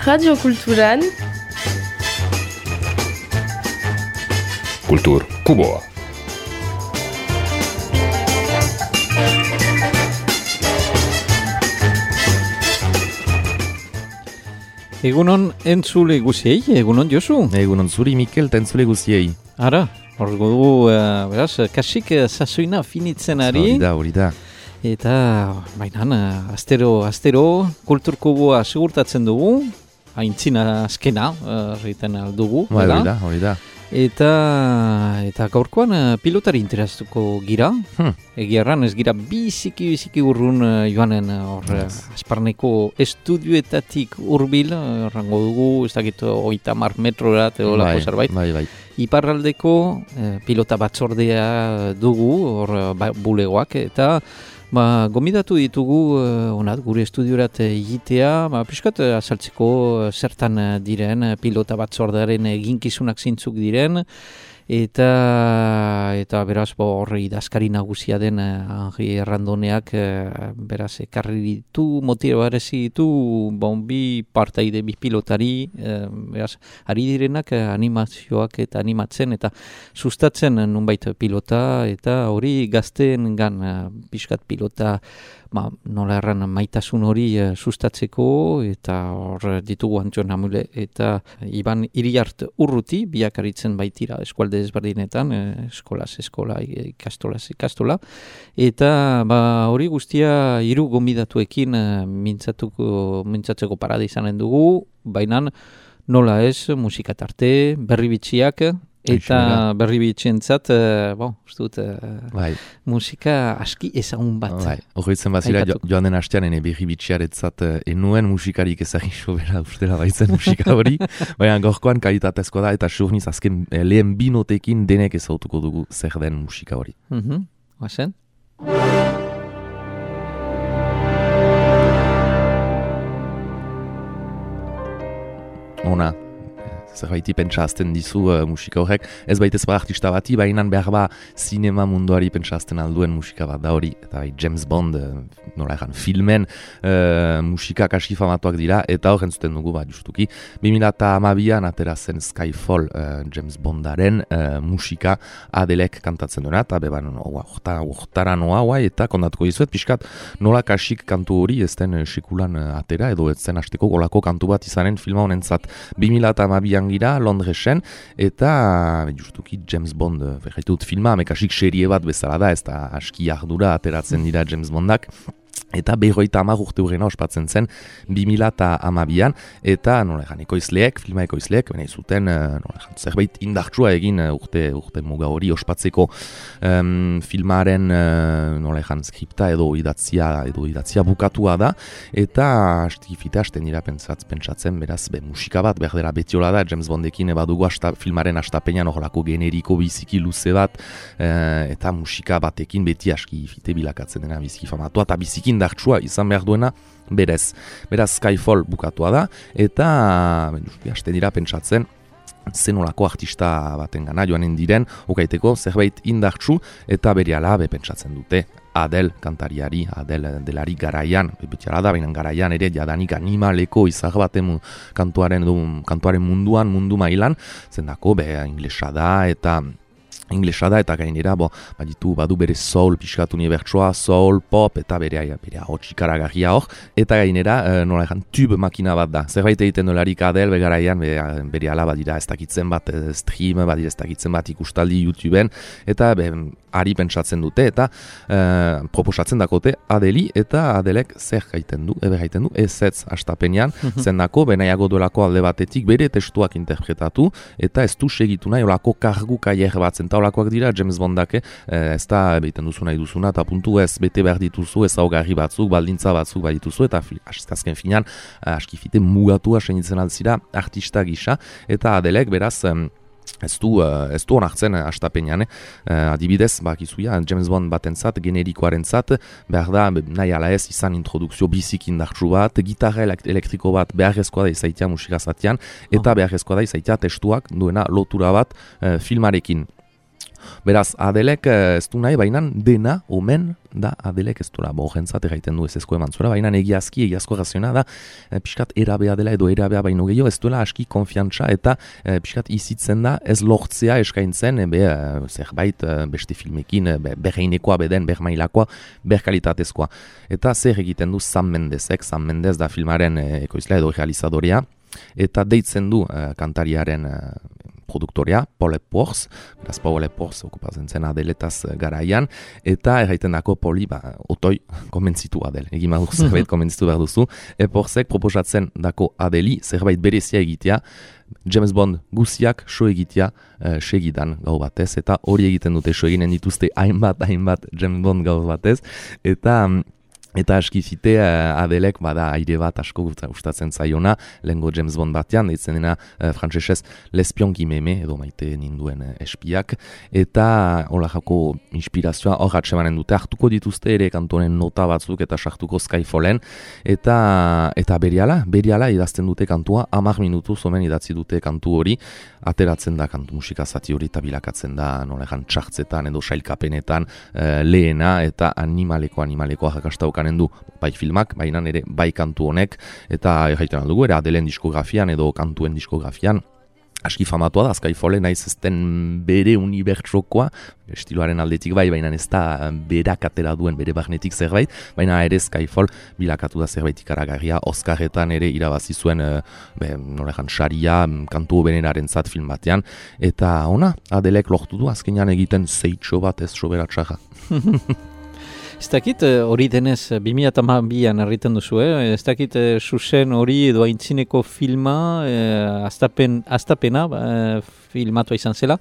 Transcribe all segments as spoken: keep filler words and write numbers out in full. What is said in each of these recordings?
Radio Kulturan Kultur Kuboa. Egunon entzule guziei, egunon Josu. Egunon zuri Mikel eta entzule guziei. Ara, hor dugu, uh, beraz, kasik uh, sasoina finitzen ari. Hori da, hori da. Eta, bainan, uh, astero, astero, Kultur Kuboa segurtatzen dugu, haintzina azkena, egiten uh, aldugu. Ba, hori da, hori da. Eta, eta gaurkoan uh, pilotari interesatuko gira. Hmm. Egia erran ez gira biziki biziki urrun uh, joanen hor uh, yes. Asparneko estudioetatik urbil, uh, errango dugu, ez dakit oita mar metrorat edo lako zerbait. Bai, bai. Iparraldeko uh, pilota batzordea dugu, hor uh, bulegoak, eta ba, gomidatu ditugu uh, onat, gure estudiorat egitea, ba, piskat uh, azaltzeko uh, zertan uh, diren uh, pilota batzordearen eginkizunak zintzuk diren, eta eta beraz hor idazkari nagusia den uh, Henri Errandoneak uh, beraz ekarri ditu, motibarezi ditu bon, bi partaide, bi pilotari, uh, beraz ari direnak uh, animazioak eta animatzen eta sustatzen uh, nunbait pilota, eta hori gazteen gan uh, pixkat pilota ba, nola erran maitasun hori uh, sustatzeko, eta hor ditugu Antxon Hamule eta Iban Iriart Urruti, biak aritzen baitira eskualde ezberdinetan, eh, eskolaz eskola, ikastolaz ikastola, eta ba, hori guztia hiru gonbidatuekin uh, mintzatuko, mintzatzeko parada izanen dugu, baina nola ez, musika tarte, berri bitxiak, eta berri bitxientzat, uh, bon, ustut, uh, bai. Musika aski ezagun bat. Bai. Horretzen bazira, jo, joan den hastean ene berri bitxiaretzat uh, enuen musikarik ezagiso bera ustela baitzen musika hori, baina gorkoan kalitatezkoa da, eta surniz azken eh, lehen binotekin denek ezautuko dugu zer den musika hori. Mhm, oazen? Ona. Zerbaiti pentsazten dizu uh, musika horrek, ez baitez ba artista bati, baina behar ba sinema munduari pentsazten alduen musika bat da hori, eta bai, James Bond, uh, nola egan, filmen uh, musika kasi famatuak dira, eta horren zuten dugu bat justuki, bi mila hamabian atera zen Skyfall uh, James Bondaren uh, musika Adelek kantatzen duena, eta beban hortara noa, guai, eta kontatuko dizuet, pixkat nola kasik kantu hori ez den uh, sekulan uh, atera, edo ez zen hasteko golako kantu bat izanen filma honentzat bi mila hamabian gira Londresen, eta justuki James Bond, berretut filma, mekasik serie bat bezala da, ez da aski ardura ateratzen dira James Bondak, eta berroita hamar urte hurrena ospatzen zen bi mila hamabian, eta nola egan ekoizleek, filma ekoizleek, bene zuten nola egan, zerbait indartsua egin urte, urte muga hori ospatzeko um, filmaren uh, nola egan, skripta edo idatzia, edo idatzia bukatua da, eta astikifite hasten dira pentsatz, pentsatzen, beraz, be, musika bat, berdera betiola da, James Bondekin badugu asta, filmaren astapenean horrelako generiko biziki luze bat, uh, eta musika batekin beti askifite bilakatzen dena biziki famatua, eta biziki indartsua izan behar duena berez. Beraz Skyfall bukatua da, eta hasten dira pentsatzen zenolako artista baten gana joanen diren, okaiteko zerbait indartsu, eta berehala be pentsatzen dute Adele kantariari, Adele delari garaian, betiala da, baina garaian ere jadanik animaleko izar baten kantuaren, kantuaren munduan, mundu mailan, zendako be inglesa da, eta inglesa da, eta gainera, bo, baditu, badu bere soul, pixkat unibertsoa, soul, pop, eta bere hotx ikaragarria hor, eta gainera, e, nola egan, tube makina bat da. Zerbait egiten dolarik Adele, begaraian, bere, bere ala badira ez dakitzen bat e, stream, badira ez dakitzen bat ikustaldi YouTubeen, eta be, ari pentsatzen dute, eta e, proposatzen dakote Adeli, eta Adelek zer gaiten du, ebe gaiten du, ez ez astapenean, zendako, benaiago dolako alde batetik bere testuak interpretatu, eta ez du segitu nahi, olako kargu kaier bat, zenta olakoak dira, James Bondak, eh, ez da behiten duzu nahi duzuna, eta puntu ez bete behar dituzu, ez augarri batzuk, baldintza batzuk behar dituzu, eta azken finean, askifite mugatua senitzen altzira artista gisa, eta Adelek beraz, em, Ez du, uh, ez du onartzen uh, astapenean, eh? uh, adibidez, bakizuia, James Bond batentzat, generikoaren zat, behar da, nahi ala ez, izan introdukzio bizik indartsu bat, gitarra elektriko bat beharrezkoa da izaitia musika zatean, eta beharrezkoa da izaitia testuak duena lotura bat uh, filmarekin. Beraz, Adelek ez du nahi, baina dena, omen, da Adelek ez duela, bo, jentzat egiten du ez ezko eman zuela, baina egiazki, egiazko raziona da, e, pixkat erabea dela edo erabea baino gehiago, ez duela aski konfiantza eta e, pixkat izitzen da, ez lortzea eskaintzen, e, be, e, zerbait e, beste filmekin, e, berreinekoa beden, bermailakoa, berkalitatezkoa. Eta zer egiten du Sam Mendezek, Sam Mendez da filmaren e, ekoizlea edo realizadorea, eta deitzen du e, kantariaren e, produktorea, Paul Epworth, beraz Paul Epworth okupatzen zen Adeletaz garaian, eta erraiten dako Poli, ba, otoi, konbentzitu Adel, egin badur zerbait konbentzitu behar duzu, Epworthek proposatzen dako Adeli, zerbait berezia egitea, James Bond guziak so egitea uh, segidan gau batez, eta hori egiten dute so eginen dituzte hainbat, hainbat James Bond gau batez, eta... Eta askizite uh, Adelek bada aire bat asko gustatzen zaiona, lehengo James Bond batean, deitzen dena uh, frantsesez L'espion qui m'aimait, edo maite ninduen uh, espiak, eta hola jako inspirazioa hor atsemanen dute, hartuko dituzte ere kantonen nota batzuk eta sartuko Skyfallen, eta eta beriala, beriala idazten dute kantua, hamar minutu zomen idatzi dute kantu hori, ateratzen da kantu musika zati hori eta bilakatzen da nolegan txartzetan edo sailkapenetan uh, lehena eta animaleko animaleko jakastaukan du bai filmak, baina ere bai kantu honek, eta erraiten aldugu, ere Adelen diskografian edo kantuen diskografian, aski famatua da, Skyfallen naiz ezten bere unibertsokoa, estiloaren aldetik bai, baina ez da berak atera duen bere barnetik zerbait, baina ere Skyfall bilakatu da zerbait ikaragarria, Oscarretan ere irabazi zuen, be, norejan, saria, kantu beneraren zat film batean, eta ona, Adelek lortu du, azkenean egiten zeitxo bat ez soberatxarra. Ez dakit hori denez, bi mila hamabian erriten duzu, eh? Ez dakit susen hori edo aintzineko filma, eh, aztapen, aztapena eh, filmatua izan zela,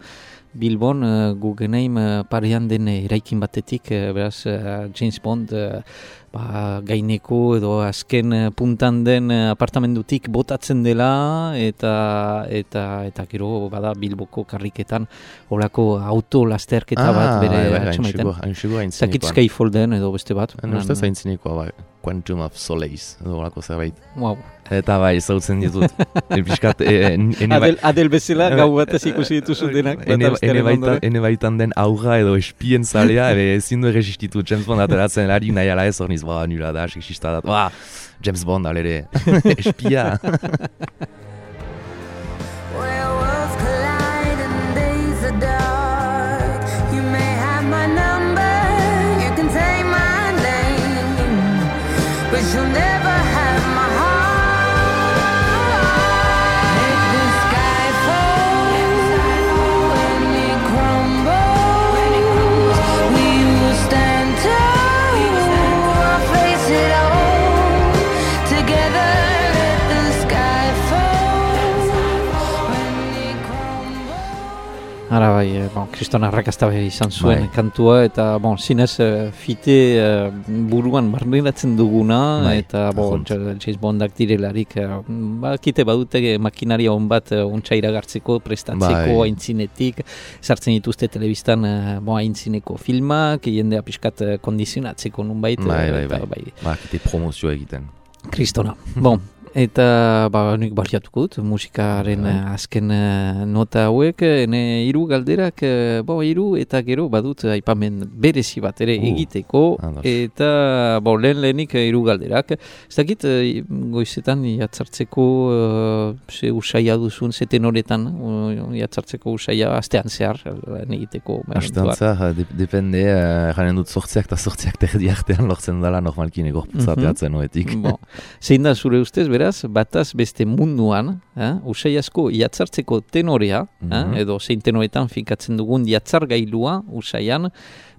Bilbon eh, Guggenheim eh, parean den eraikin batetik, eh, beraz eh, James Bond eh, ba, gaineko edo azken eh, puntan den eh, apartamendutik botatzen dela, eta eta eta gero bada Bilboko karriketan horako auto lasterketa ah, bat bere bai, atxamaiten. Zakit Skyfall den edo beste bat. Nustez aintzinekoa, bai, Quantum of Solace, edo horako zerbait. Wow. Eta bai, zautzen ditut. Elpiskat, e, ene, Adel, Adel bezala gau batez ikusi dituzu denak. Ene, ene, baitan, ene baitan den aurra edo espien zalea, ebe ezin du erresistitu James Bond ateratzen lari nahi ala ez hor niz, ba, nula da, seksista dat, ba, James Bond alere, espia. Ara bai, bon, Kriston arrakazta bai izan zuen bai. Kantua, eta bon, zinez fite uh, buruan barneratzen duguna, bai, eta bon, James Bondak direlarik, uh, ba, kite badute makinaria hon bat uh, ontsa iragartzeko, prestatzeko, bai, aintzinetik, sartzen dituzte telebistan uh, bon, aintzineko filmak, jendea pixkat uh, kondizionatzeko nunbait. Bai, bai, eta, bai, bai, ba, kite promozio egiten. Kristona, bon. Eta ba, nik baliatuko dut, musikaren uh, azken uh, nota hauek, ene hiru galderak, uh, bo, hiru eta gero badut aipamen berezi bat ere uh, egiteko, ados. Eta bo, lehen lehenik hiru galderak. Ez dakit, uh, goizetan jatzartzeko uh, ze usaia duzun, ze tenoretan uh, jatzartzeko usaia astean zehar, lehen egiteko. Astean zehar, de, depende, jaren uh, dut sortziak eta sortziak terdi artean lortzen dela normalkin egorputzateatzen hoetik. Bon. Zein da zure ustez, beraz, bataz beste munduan, eh, usai asko jatzartzeko tenorea, mm-hmm. eh, edo zein tenoretan finkatzen dugun jatzar gailua usaian,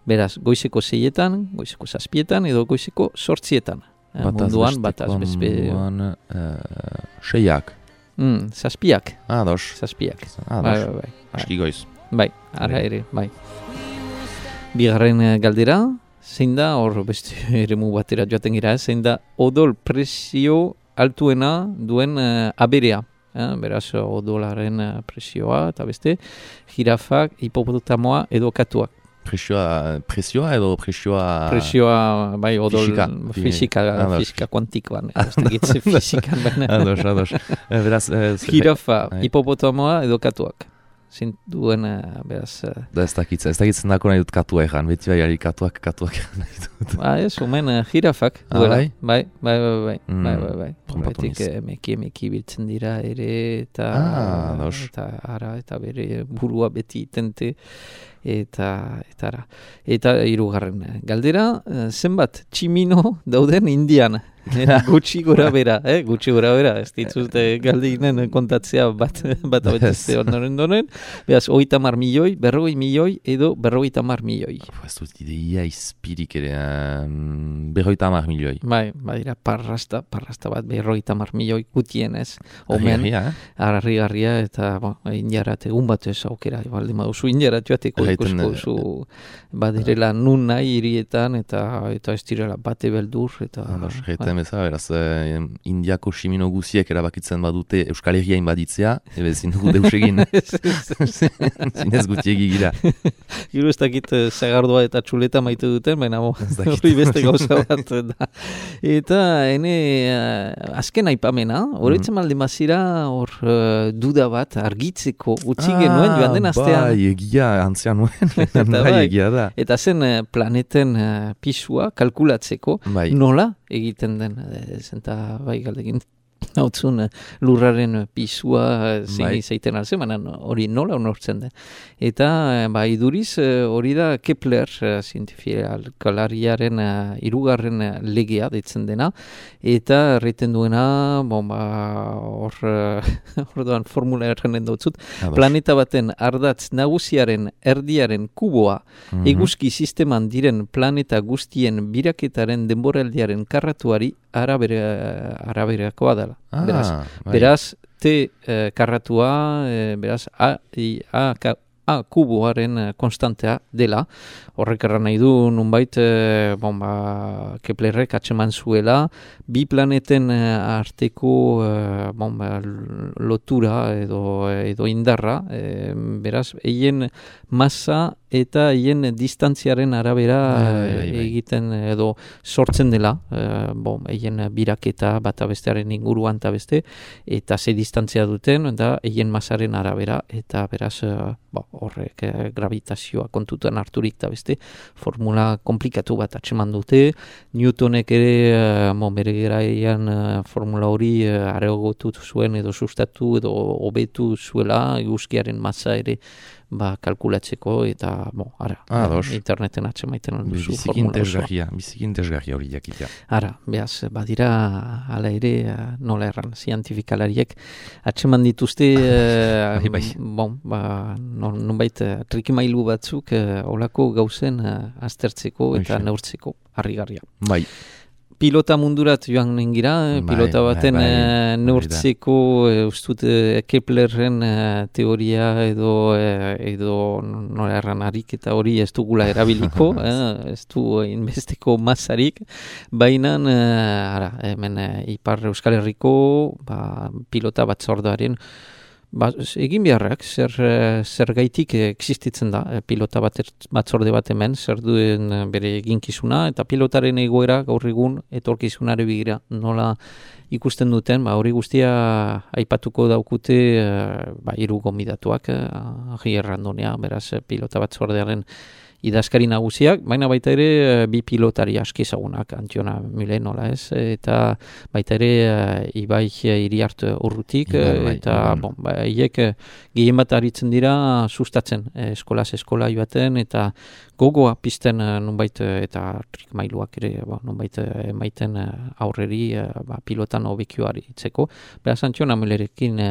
beraz, goizeko seietan, goizeko zazpietan, edo goizeko sortzietan. Eh, bataz munduan, bataz beste... Munduan, uh, seiak. Mm, zazpiak. Ados. Zazpiak. Ados. Bai, bai, bai. Aski goiz. Bai, ara ere, bai. Bigarren galdera, zein da, hor beste eremu batera joaten gira, zein da odol presio altuena duen uh, aberea. Eh? Beraz, odolaren uh, presioa, eta beste, jirafak, hipopotamoa edo katuak. Presioa, presioa edo presioa... Presioa, bai, odol... Fisika. Fisika, fisika kuantikoan. Ez fisikan, baina... Ados, ados. Beraz... Jirafa, hipopotamoa edo katuak. zintuen, beraz... Da ez dakitzen, ez dakitzen dako nahi dut katua egan, beti bai katuak, katuak nahi dut. Ba, ez, omen jirafak, ah, duela, bai? bai, bai, bai, bai, mm, bai, bai, bai. Trompatu niz. Emeki, emeki biltzen dira ere, eta, ah, eta ara, eta bere burua beti itente, eta, eta ara. Eta hirugarren galdera, zenbat tximino dauden Indian? Gutxi gora bera, eh? Gutxi gora bera, ez ditzute galdinen kontatzea bat, bat abetezte ondoren donen, behaz, oita mar milioi, berrogei milioi, edo berrogeita mar milioi. Ez dut ideia izpirik ere, um, berrogeita mar milioi. Bai, badira, parrasta, parrasta bat, berrogeita mar milioi gutien ez. Omen, harri-garria, eh? Eta, bo, indiarat egun bat ez aukera, balde maduzu, indiarat joateko ikusko zu, badirela nun nahi hirietan, eta, eta ez direla bate beldur, eta... Bezala, beraz, eh, Indiako simino guziek erabakitzen badute Euskal Herria inbaditzea, ebe zindugu deusegin. Zinez gutiegi gira. Giro ez dakit zagardua eta txuleta maite duten, baina hori beste gauza bat da. Eta, ene, uh, azken aipamena, horretzen mm. malde mazira hor uh, duda bat argitzeko utzi genuen ah, joan den astean. Bai, egia, antzean nuen. bai, egia da. Eta zen uh, planeten uh, pisua kalkulatzeko, bai. Nola egiten den, zenta bai galdekin hautzun lurraren pisua zein izaiten alze, baina hori nola unortzen den. Eta ba, iduriz hori da Kepler zientifikalariaren hirugarren legea deitzen dena, eta erreten duena, bon, ba, hor orduan formula errenen dautzut, planeta baten ardatz nagusiaren erdiaren kuboa mm-hmm. eguzki sisteman diren planeta guztien biraketaren denboraldiaren karratuari arabere, araberakoa dela. Ah, beraz, bai. beraz, T eh, karratua, eh, beraz, A, I, A, K, A kuboaren konstantea dela. Horrek erran nahi du, nunbait, eh, bon, ba, Keplerrek atseman zuela, bi planeten arteko eh, bon, ba, lotura edo, edo indarra, eh, beraz, eien masa eta hien distantziaren arabera bai, bai, bai. egiten edo sortzen dela, eh, bon, hien biraketa bata bestearen inguruan eta beste, eta ze distantzia duten, eta hien masaren arabera, eta beraz, eh, bo, horrek eh, gravitazioa kontutan harturik eta beste, formula komplikatu bat atseman dute, Newtonek ere, eh, bon, bere garaian eh, formula hori eh, areagotu zuen edo sustatu edo hobetu zuela, eguzkiaren masa ere ba, kalkulatzeko, eta, bo, ara, ah, interneten atsemaiten duzu bizikin tesgarria, bizikin tesgarria hori jakitea. Ara, behaz, badira, ala ere, nola erran, zientifikalariek atseman dituzte, uh, bai, bai. bon, ba, nonbait, trikimailu batzuk, uh, olako gauzen uh, aztertzeko eta Oixe. neurtzeko, harrigarria. Bai. Pilota mundurat joan nengira, bai, pilota baten bai, bai, neurtzeko ustut Keplerren teoria edo edo nola erran harik eta hori ez dugula erabiliko, eh, ez du inbesteko masarik, baina ara, hemen Ipar Euskal Herriko ba, pilota batzordearen Ba, egin beharrak, zer, zer gaitik existitzen da, pilota bat, batzorde bat hemen, zer duen bere eginkizuna, eta pilotaren egoera gaur egun etorkizunare begira nola ikusten duten, ba, hori guztia aipatuko daukute ba, hiru gonbidatuak, Agi Errandonea, beraz pilota batzordearen idazkari nagusiak, baina baita ere bi pilotari aski ezagunak, Antiona Mule nola ez, eta baita ere Ibai Iriart Urrutik, Ibai, eta bai. Bon, ba, hiek gehien bat aritzen dira sustatzen, eskolaz eskola joaten, eta gogoa pizten nunbait, eta trikmailuak ere ba, nunbait emaiten aurreri ba, pilotan hobekioari itzeko. Beraz, Antiona Mulerekin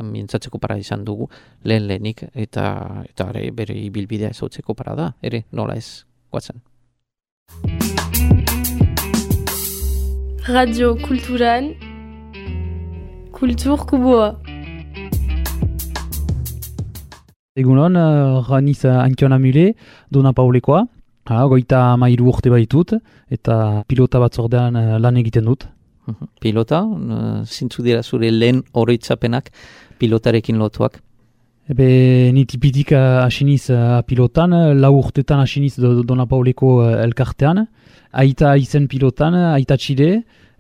mintzatzeko para izan dugu, lehen lehenik, eta, eta are, bere ibilbidea ezautzeko para da. Ere, nola ez, guatzen. Radio Kulturan, Kultur Kuboa. Egunon, uh, raniz uh, Antiona Mule, Dona Paulekoa. Ha, goita mairu urte baitut, eta pilota batzordean uh, lan egiten dut. Uh-huh. Pilota, uh, zintzu dira zure lehen oroitzapenak pilotarekin lotuak? Ebe, ni tipitik asiniz uh, pilotan, lau urtetan asiniz do, Dona Pauleko uh, elkartean, aita izen pilotan, aita txide,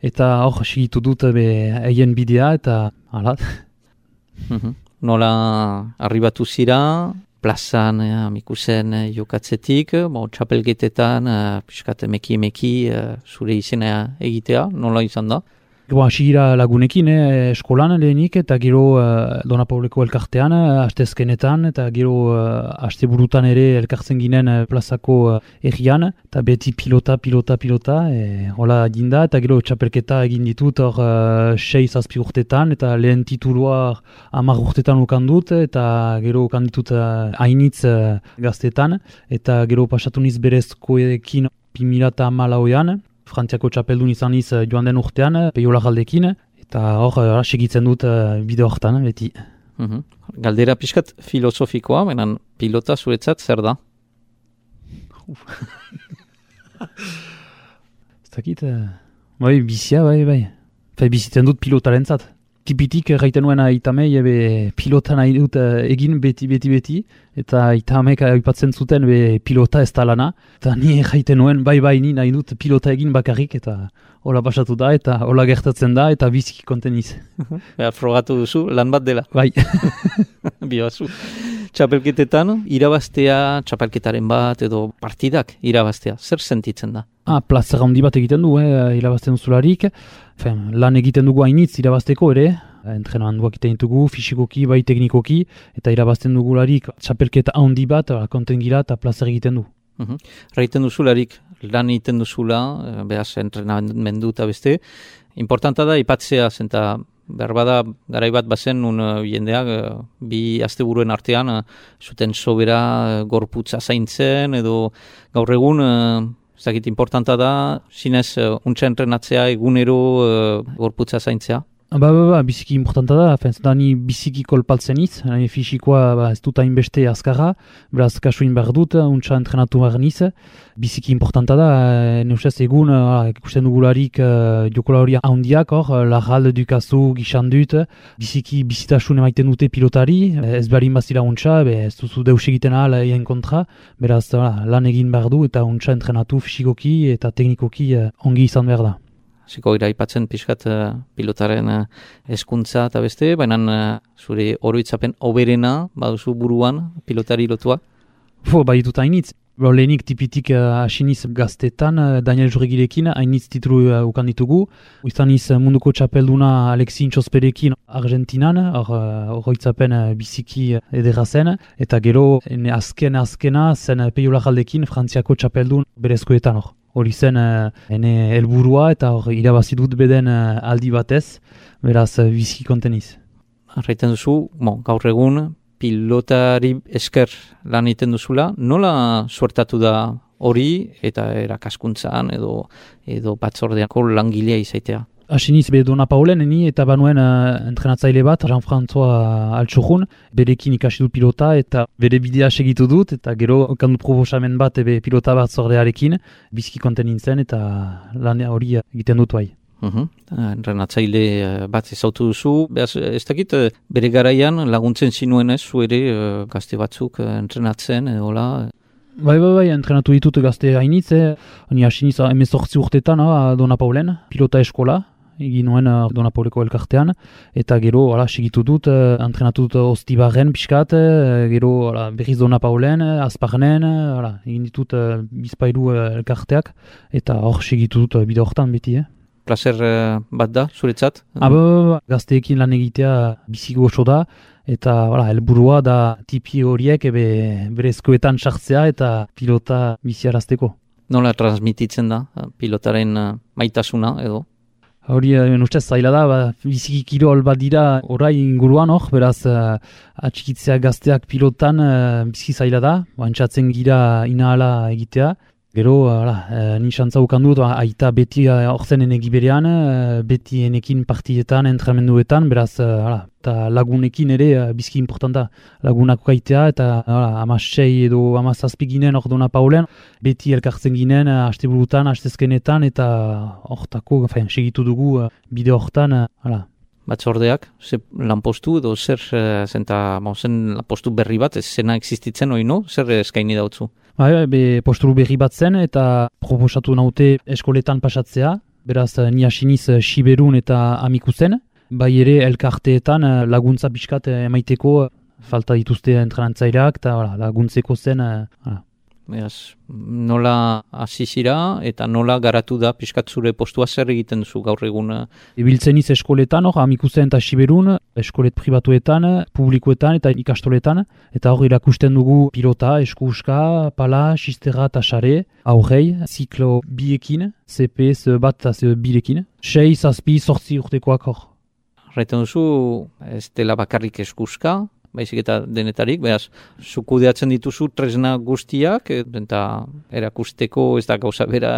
eta hor segitu dut eien bidea, eta hala. Mm-hmm. nola arribatu zira, plazan eh, amikusen eh, jokatzetik, bo, txapelgetetan, eh, piskat emeki-emeki eh, zure izena egitea, nola izan da? Bo, hasi gira lagunekin, eh, eskolan lehenik, eta gero eh, Dona Pauleko elkartean, eh, astezkenetan, eta gero eh, asteburutan ere elkartzen ginen eh, plazako eh, errian, eta beti pilota, pilota, pilota, eh, hola ginda, eta gero txapelketa egin ditut hor eh, sei zazpi urtetan, eta lehen titulua hamar urtetan ukan dut, eta gero ukan ditut eh, hainitz eh, gaztetan, eta gero pasatu niz berezkoekin bi mila hamalauean, Frantziako txapeldun izan iz joan den urtean, Peiola galdekin, eta hor uh, segitzen dut uh, bide hortan, beti. Uhum. Galdera pixkat filosofikoa, menan pilota zuretzat zer da? Ez dakit, uh, bai, bizia, bai, bai. Fai bizitzen dut pilotaren zat. Tipitik gaiten nuen aitamei ebe pilota nahi dut uh, egin beti, beti, beti, eta aitamek aipatzen zuten be pilota ez talana, eta ni gaiten nuen bai, bai, ni nahi dut pilota egin bakarrik, eta hola pasatu da, eta hola gertatzen da, eta biziki konteniz. Behar frogatu duzu, lan bat dela. Bai. Bioazu. Txapelketetan, irabaztea, txapelketaren bat, edo partidak irabaztea, zer sentitzen da? Ah, plazer handi bat egiten du, eh, irabazten duzularik. Fen, lan egiten dugu hainitz irabazteko ere, entrenamenduak egiten dugu, fisikoki, bai teknikoki, eta irabazten dugularik txapelketa handi bat, konten gira eta plazer egiten du. Uhum. Raiten duzularik, lan egiten duzula, behaz entrenamendu eta beste, importanta da ipatzea, zenta berbada garai bat bazen un uh, jendeak uh, bi asteburuen artean uh, zuten sobera uh, gorputza zaintzen edo gaur egun uh, zakit importanta da zinez uh, untsa entrenatzea egunero uh, gorputza zaintzea. Ba, ba, ba, biziki importanta da, fenz, da ni biziki kolpaltzen iz, ni fisikoa ba, ez dut hainbeste azkarra, beraz kasuin behar dut, untsa entrenatu behar niz, biziki importanta da, e, neusez egun, uh, ikusten dugularik uh, jokolari handiak hor, Larral, Dukazu, Gixandut, biziki bizitasun emaiten dute pilotari, ez beharin bazira untsa, be, ez duzu deus egiten ahal egin kontra, beraz uh, lan egin behar du eta untsa entrenatu fisikoki eta teknikoki uh, ongi izan behar da. Ziko ira ipatzen pixkat uh, pilotaren uh, eskuntza eta beste, baina uh, zure oroitzapen oberena baduzu buruan pilotari lotua? Fo, bai dut hainitz. Lehenik tipitik hasiniz uh, gaztetan, uh, Daniel Jurregirekin, hainitz titulu uh, ukan ditugu. Izaniz uh, munduko txapelduna Alexin Txosperekin Argentinan, hor uh, oroitzapen uh, biziki uh, edera zen. Eta gero, ene azken azkena zen uh, Peiola galdekin Frantziako txapeldun berezkoetan hor. Hori zen uh, ene helburua eta hor irabazi dut beden uh, aldi batez, beraz uh, biziki konteniz. Arraiten duzu, bon, gaur egun pilotari esker lan egiten duzula, nola suertatu da hori eta erakaskuntzan edo edo batzordeako langilea izaitea? Hasiniz be Dona Paulen ni eta banuen uh, entrenatzaile bat, Jean-François Altxorun, berekin ikasi dut pilota eta bere bidea segitu dut eta gero okan dut proposamen bat ebe pilota bat zordearekin, biziki konten nintzen eta lan hori egiten dut bai. Uhum. Entrenatzaile bat ezautu duzu, behaz, ez dakit bere garaian laguntzen zinuen ez, zu ere gazte batzuk entrenatzen edola? Bai, bai, bai, entrenatu ditut gazte hainitz, eh? Ni hasiniz hemezortzi urtetan ah, Dona Paulen, pilota eskola, egin nuen uh, Dona Pauleko elkartean, eta gero ala, segitu dut, uh, entrenatu dut Ostibarren pixkat, uh, gero ala, berriz Dona Paulen, uh, Azparnen, uh, ala, egin ditut uh, bizpailu uh, elkarteak, eta hor segitu dut uh, bide hortan beti. Eh? Placer uh, bat da, zuretzat? Ah, ba, ba, ba, gazteekin lan egitea bizi goxo da, eta voilà, helburua da tipi horiek ebe berezkoetan sartzea eta pilota biziarazteko. Nola transmititzen da pilotaren uh, maitasuna edo? Hori, uh, ustez zaila da, ba, biziki kirol bat dira orai inguruan hor, beraz uh, atxikitzea gazteak pilotan uh, biziki zaila da, bantxatzen gira inahala egitea. Gero, ala, e, ni xantza ukan dut, aita beti hor zen enegi berean, e, beti enekin partietan, entrenamenduetan, beraz, ala, eta lagunekin ere e, bizki importanta lagunak ukaitea, eta ama sei edo ama zazpi ginen hor Dona Paulen, beti elkartzen ginen, hasteburutan, hastezkenetan, eta hortako, segitu dugu bide hortan, ala. Batzordeak, ze lanpostu edo zer zenta zen lanpostu berri bat, ez zena existitzen hori no? Zer eskaini dautzu? Bai, be posturu berri bat zen eta proposatu naute eskoletan pasatzea, beraz ni hasiniz Siberun eta Amikuzen, bai ere elkarteetan eh, laguntza pixkat eh, emaiteko, falta dituzte entrenantzaileak eta voilà, laguntzeko zen. Eh, voilà. Beaz, nola hasi zira eta nola garatu da pixkat zure postua zer egiten duzu gaur egun? Ibiltzen iz eskoletan, hor, Amikuzen eta Siberun, eskolet pribatuetan, publikoetan eta ikastoletan, eta hor irakusten dugu pilota, eskuska, pala, xistera eta xare, aurrei, ziklo biekin, C P S bat eta C birekin, sei, zazpi, sortzi urtekoak hor. Raiten duzu, ez dela bakarrik eskuska, baizik eta denetarik, behaz, zukudeatzen dituzu tresna guztiak, eta erakusteko ez da gauza bera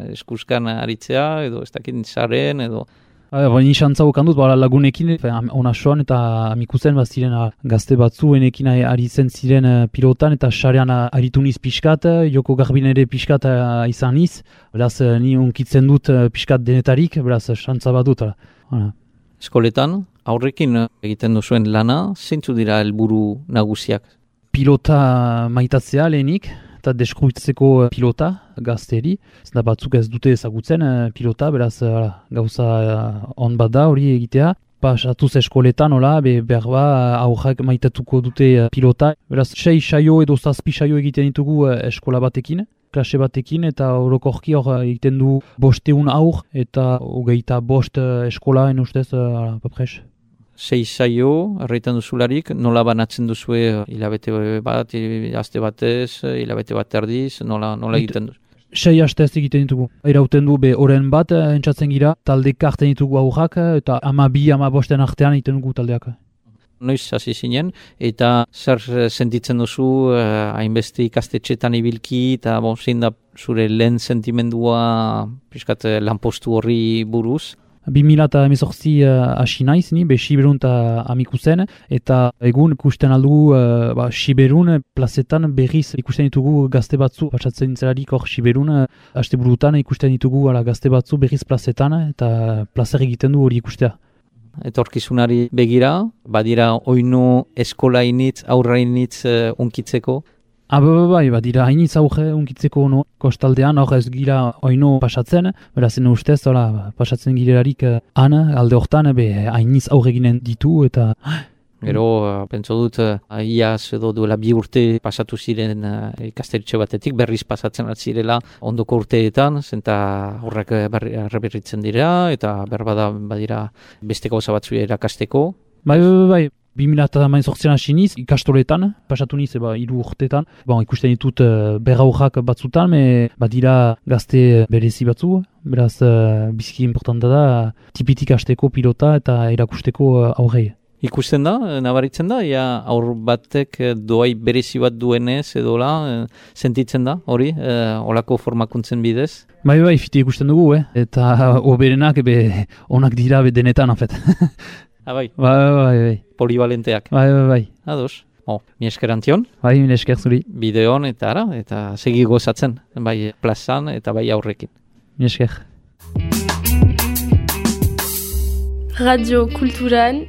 eskuskan aritzea, edo ez dakit zaren, edo... Baina xantza okan dut, lagunekin, ona soan eta Amikuzen bat ziren gazte batzuenekin aritzen ziren pilotan, eta xarean aritu niz pixkat, joko garbin ere pixkat izan niz, beraz, ni unkitzen dut pixkat denetarik, beraz, xantza bat dut. Eskoletan, aurrekin egiten duzuen lana, zeintzu dira helburu nagusiak? Pilota maitatzea lehenik, eta deskruitzeko pilota gazteri. Zena batzuk ez dute ezagutzen pilota, beraz gauza on bat da hori egitea. Pasatuz eskoletan, hola, be, behar ba, aurrak maitatuko dute pilota. Beraz, sei saio edo zazpi saio egiten ditugu eskola batekin, klase batekin, eta orokorki hor egiten du bosteun aur, eta hogeita bost eskola, en ustez, uh, papres. Sei saio, erraiten duzularik, nola banatzen duzue hilabete bat, aste batez, hilabete bat erdiz, nola, nola egiten duzu? Sei astez egiten ditugu. Erauten du be oren bat, entzatzen gira, talde karten ditugu aurrak, eta ama bi, ama bosten artean egiten dugu taldeak. Noiz hasi zinen, eta zer sentitzen duzu hainbeste ikastetxetan ibilki, eta bon, zein da zure lehen sentimendua piskat lanpostu horri buruz? bi mila hemezortzi hasi uh, naiz, ni, be Siberun eta Amikuzen, eta egun ikusten aldugu uh, ba, Siberun plazetan berriz ikusten ditugu gazte batzu, patsatzen zelarik hor Siberun, uh, haste burutan ikusten ditugu ala, gazte batzu berriz plazetan, eta plazer egiten du hori ikustea. Etorkizunari begira, badira oinu eskola initz, aurra initz uh, unkitzeko? Aba, bai, bai, badira hainitz aurre unkitzeko no, kostaldean hor ez gira oino pasatzen, berazen ustez, hola, pasatzen girelarik uh, han, alde hortan, be, hainitz aurre ginen ditu, eta... Gero, uh, pentso dut, uh, iaz edo duela bi urte pasatu ziren uh, ikasteritxe batetik, berriz pasatzen atzirela ondoko urteetan, zenta horrek erreberritzen dira, eta berbada badira beste gauza batzu erakasteko. Bai, bai, bai, bai. bi mila hemezortzian hasi niz, ikastoletan, pasatu niz, eba, hiru urtetan. Bon, ikusten ditut uh, berraurrak batzutan, me badira gazte berezi batzu, beraz uh, biziki importanta da, tipitik hasteko pilota eta erakusteko uh, aurrei. Ikusten da, nabaritzen da, ja aur batek doai berezi bat duenez edola, sentitzen da, hori, e, olako formakuntzen bidez? Bai, bai, fiti ikusten dugu, eh? Eta oberenak be, onak dira be denetan, afet. Ah, bai? Bai, bai, bai. Polivalenteak? Bai, bai, bai. Ados. Oh, mi esker Antion. Bai, mi esker zuri. Bideon eta ara, eta segi gozatzen, bai plazan eta bai aurrekin. Mi esker. Radio Kulturan,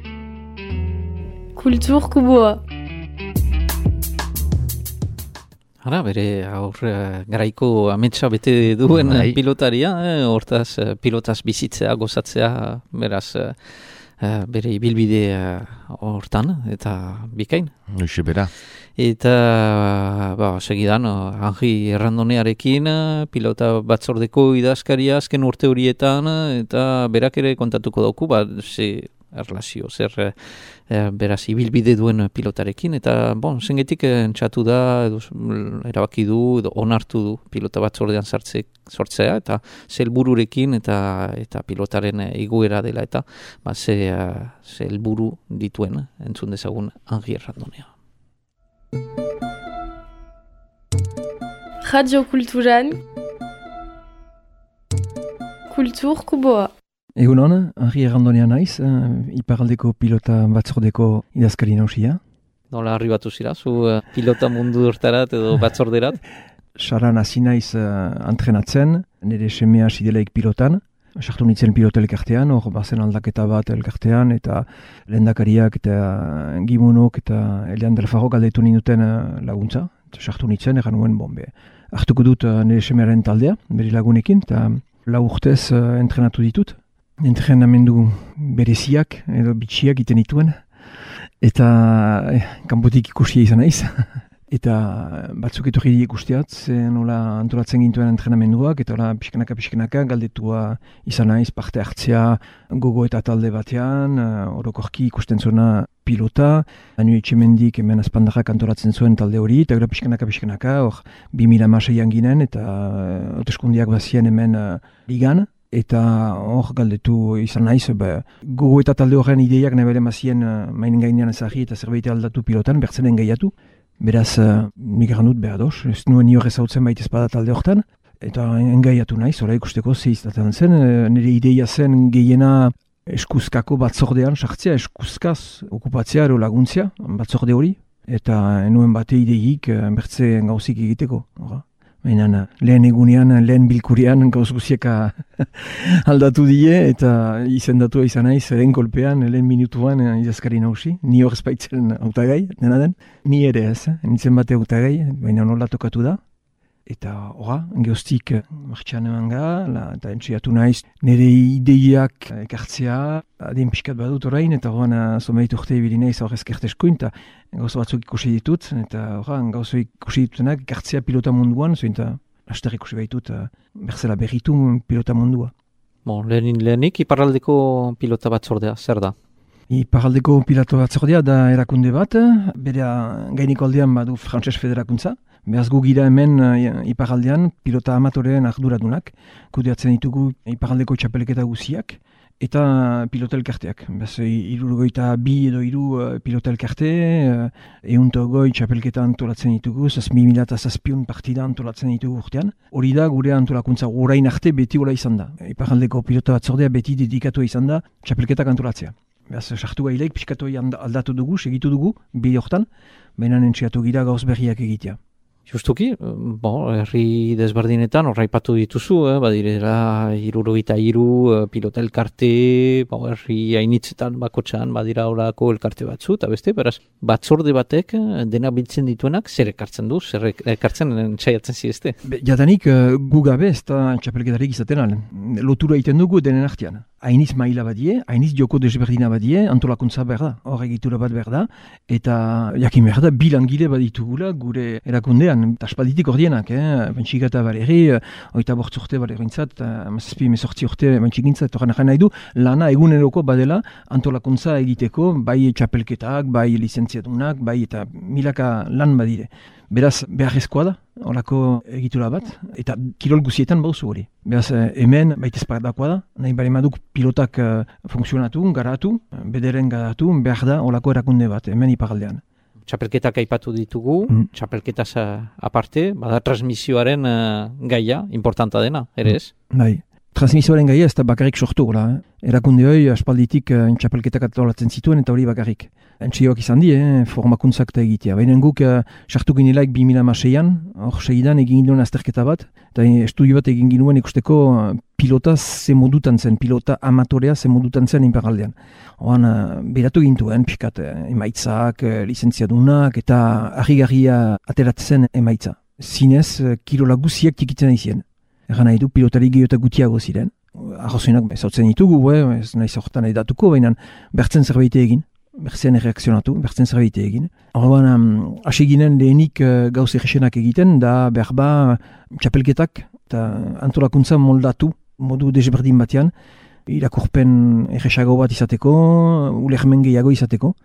Kultur Kuboa. Ara, bere aur garaiko ametsa bete duen Ai. pilotaria, eh, hortaz pilotaz bizitzea, gozatzea, beraz eh, bere ibilbide hortan, eta bikain. Hoxe bera. Eta, ba, segidan, Angi Errandonearekin, pilota batzordeko idazkaria azken urte horietan, eta berak ere kontatuko dauku, ba, ze erlazio, zer e, beraz ibilbide duen pilotarekin, eta bon, zengetik entxatu da, edo, erabaki du, edo onartu du pilota batzordean sartze, sortzea, eta ze helbururekin eta eta pilotaren iguera dela, eta ba, ze, ze helburu dituen entzun dezagun Angi Errandonea. Radio Kulturan, Kultur Kuboa. Egun hona, Angi Errandonea naiz, uh, iparaldeko pilota batzordeko idazkari nausia. Nola arribatu zira, zu uh, pilota mundu hortarat edo batzorderat? Saran hasi naiz uh, entrenatzen, nire semea sidelaik pilotan. Sartu nintzen pilota elkartean, hor bazen aldaketa bat elkartean, eta lehendakariak eta gimunok eta Elian Delfaro galdetu ninduten uh, laguntza. Sartu nintzen, egan nuen bombe. Hartuko dut uh, nire semearen taldea, bere lagunekin, eta lau urtez uh, entrenatu ditut. entrenamendu bereziak edo bitxiak iten dituen, eta eh, kanpotik ikusia izan naiz. Eta batzuk etorri ikusteat, ze nola antolatzen gintuen entrenamenduak, eta nola pixkanaka pixkanaka galdetua izan naiz parte hartzea gogo eta talde batean, orokorki ikusten zuena pilota, Anu Etxemendik hemen azpandarrak antolatzen zuen talde hori, eta gara pixkanaka pixkanaka, hor bi mila hamaseian ginen, eta hauteskundiak bazien hemen uh, ligan, eta hor galdetu izan naiz, be, gogo eta talde horren ideiak nebele mazien uh, mainen gainean ezagri eta zerbait aldatu pilotan, bertzenen gehiatu. Beraz, uh, nik egan dut behar doz, ez nuen nio ezautzen baita espada talde horretan, eta engaiatu naiz, ora ikusteko zehiztatzen zen, nire ideia zen gehiena eskuzkako batzordean sartzea, eskuzkaz okupatzea ero laguntzea, batzorde hori, eta nuen bate ideik bertze gauzik egiteko. Ora. Baina lehen egunean, lehen bilkurian gauz guzieka aldatu die, eta izendatua izan naiz, lehen kolpean, lehen minutuan idazkari nausi. Ni hor espaitzen hautagai, dena den. Ni ere ez, eh? Nintzen bate hautagai, baina nola tokatu da. Eta horra, geostik martxan eman ga, eta entziatu naiz nire ideiak ekartzea, adien pixkat badut orain, eta horren zomeit urte ibili naiz horrez kerteskuin, eta gauza batzuk ikusi ditut, eta horra, gauza ikusi ditutenak ekartzea pilota munduan, zoin eta laster ikusi baitut berzela berritu pilota mundua. Bon, lehenin lehenik, iparraldeko pilota batzordea, zer da? Iparraldeko pilota batzordea da erakunde bat, bere gainiko aldean badu Frantses Federakuntza, behaz gu gira hemen uh, iparaldean pilota amatoreen arduradunak, kudeatzen ditugu iparaldeko txapelketa guziak, eta pilota elkarteak. Behaz, irurogoita bi edo iru uh, pilota elkarte, uh, eunto goi txapelketa antolatzen ditugu, zazpi mila eta zazpiun partida antolatzen ditugu urtean. Hori da gure antolakuntza, orain arte beti hola izan da. Iparaldeko pilota batzordea beti dedikatu izan da txapelketak antolatzea. Behaz, sartu gaileik, pixkatu aldatu dugu, segitu dugu, bi hortan, baina entziatu gira gauz berriak egitea. Justuki, bon, herri desberdinetan horraipatu dituzu, eh? Badirera hirurogeita hiru pilota elkarte, bon, herri hainitzetan bakotxan badira horako elkarte batzu, eta beste, beraz, batzorde batek dena biltzen dituenak zer ekartzen du, zer ekartzen txaiatzen zizte? Jadanik gu gabe ez da txapelketarik izaten alen. Lotura egiten dugu denen artean. Hainiz maila badie, hainiz joko desberdina badie, antolakuntza behar da, hor egitura bat behar da, eta jakin behar da, bilangile baditugula gure erakundean, eta aspalditik ordienak, eh? Bentxika eta baleri, oita bortz urte balerintzat, mazazpi mesortzi urte bentxikintzat, horren jana nahi du, lana eguneroko badela antolakuntza egiteko, bai txapelketak, bai lizentziatunak, bai eta milaka lan badire. Beraz, beharrezkoa da, horako egitura bat, eta kirol guzietan bauzu hori. Beraz, hemen baitez paradakoa da, nahi bari maduk pilotak uh, funksionatu, garatu, bederen garatu, behar da horako erakunde bat, hemen iparaldean. Txapelketak aipatu ditugu, mm. txapelketaz aparte, bada transmisioaren uh, gaia, importanta dena, ere ez? Mm. Bai. Transmisioaren gaia ez da bakarrik sortu, eh? Erakunde hori aspalditik uh, txapelketak atolatzen zituen eta hori bakarrik. Entxioak izan di, eh? Formakuntzak eta egitea. Baina guk sartu uh, ginelaik bi mila hamaseian, hor segidan egin ginoen azterketa bat, eta estudio bat egin ginuen ikusteko uh, pilota ze modutan zen, pilota amatorea ze modutan zen inparaldean. Horan, uh, beratu gintuen, pixkat, uh, emaitzak, uh, lizentziadunak, eta harrigarria ateratzen emaitza. Zinez, uh, kirola guziak tikitzen izien. Egan nahi du, pilotari gehiota gutiago ziren. Arrozoinak ezautzen ditugu, eh? Ez nahi zortan edatuko, baina bertzen zerbait egin, bertzen erreakzionatu, bertzen zerbait egin. Horban, um, hasi ginen lehenik uh, gauz egesenak egiten, da berba txapelketak eta antolakuntza moldatu, modu desberdin batean, irakurpen erresago bat izateko, ulermen gehiago izateko.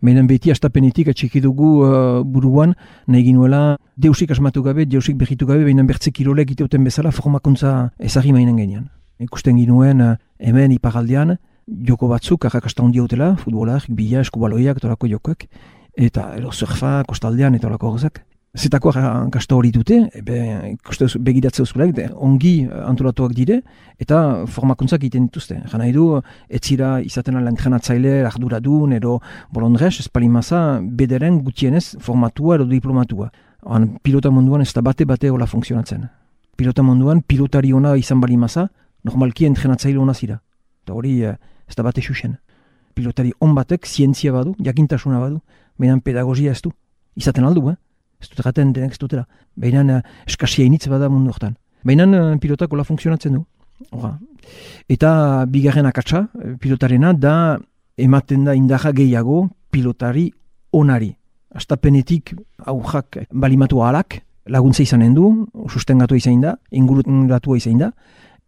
Baina beti astapenetik atxiki dugu uh, buruan, nahi ginuela deusik asmatu gabe, deusik berritu gabe, baina bertze kirolek iteuten bezala formakuntza ezagri mainen gainean. Ikusten ginuen uh, hemen iparaldean, joko batzuk, arrakasta hondi hautela, futbolak, bila, eskubaloiak, torako jokoak, eta ero surfa, kostaldean, eta horako horrezak. Zetako arrakasta hori dute, begiratzea uzkulak, ongi antolatuak dire, eta formakuntzak egiten dituzte. Egan nahi du, etzira izaten ala entrenatzaile, arduradun, ero bolondrez, espalimaza, bederen gutienez formatua edo diplomatua. Oan, pilota munduan ez da bate-bate hola funtzionatzen. Pilota munduan, pilotari ona izan balimaza, normalki entrenatzaile ona zira. Eta hori ez da bate xuxen. Pilotari on batek, zientzia badu, jakintasuna badu, baina pedagogia ez du. Izaten aldu, eh? Ez dut erraten denek ez dutela. Baina uh, eskasia initz bada mundu hortan. Baina uh, pilotak hola funtzionatzen du. Hora. Eta bigarren akatsa, pilotarena, da ematen da indarra gehiago pilotari onari. Astapenetik aurrak balimatu ahalak, laguntza izanen du, sustengatu izan da, inguratu izan da,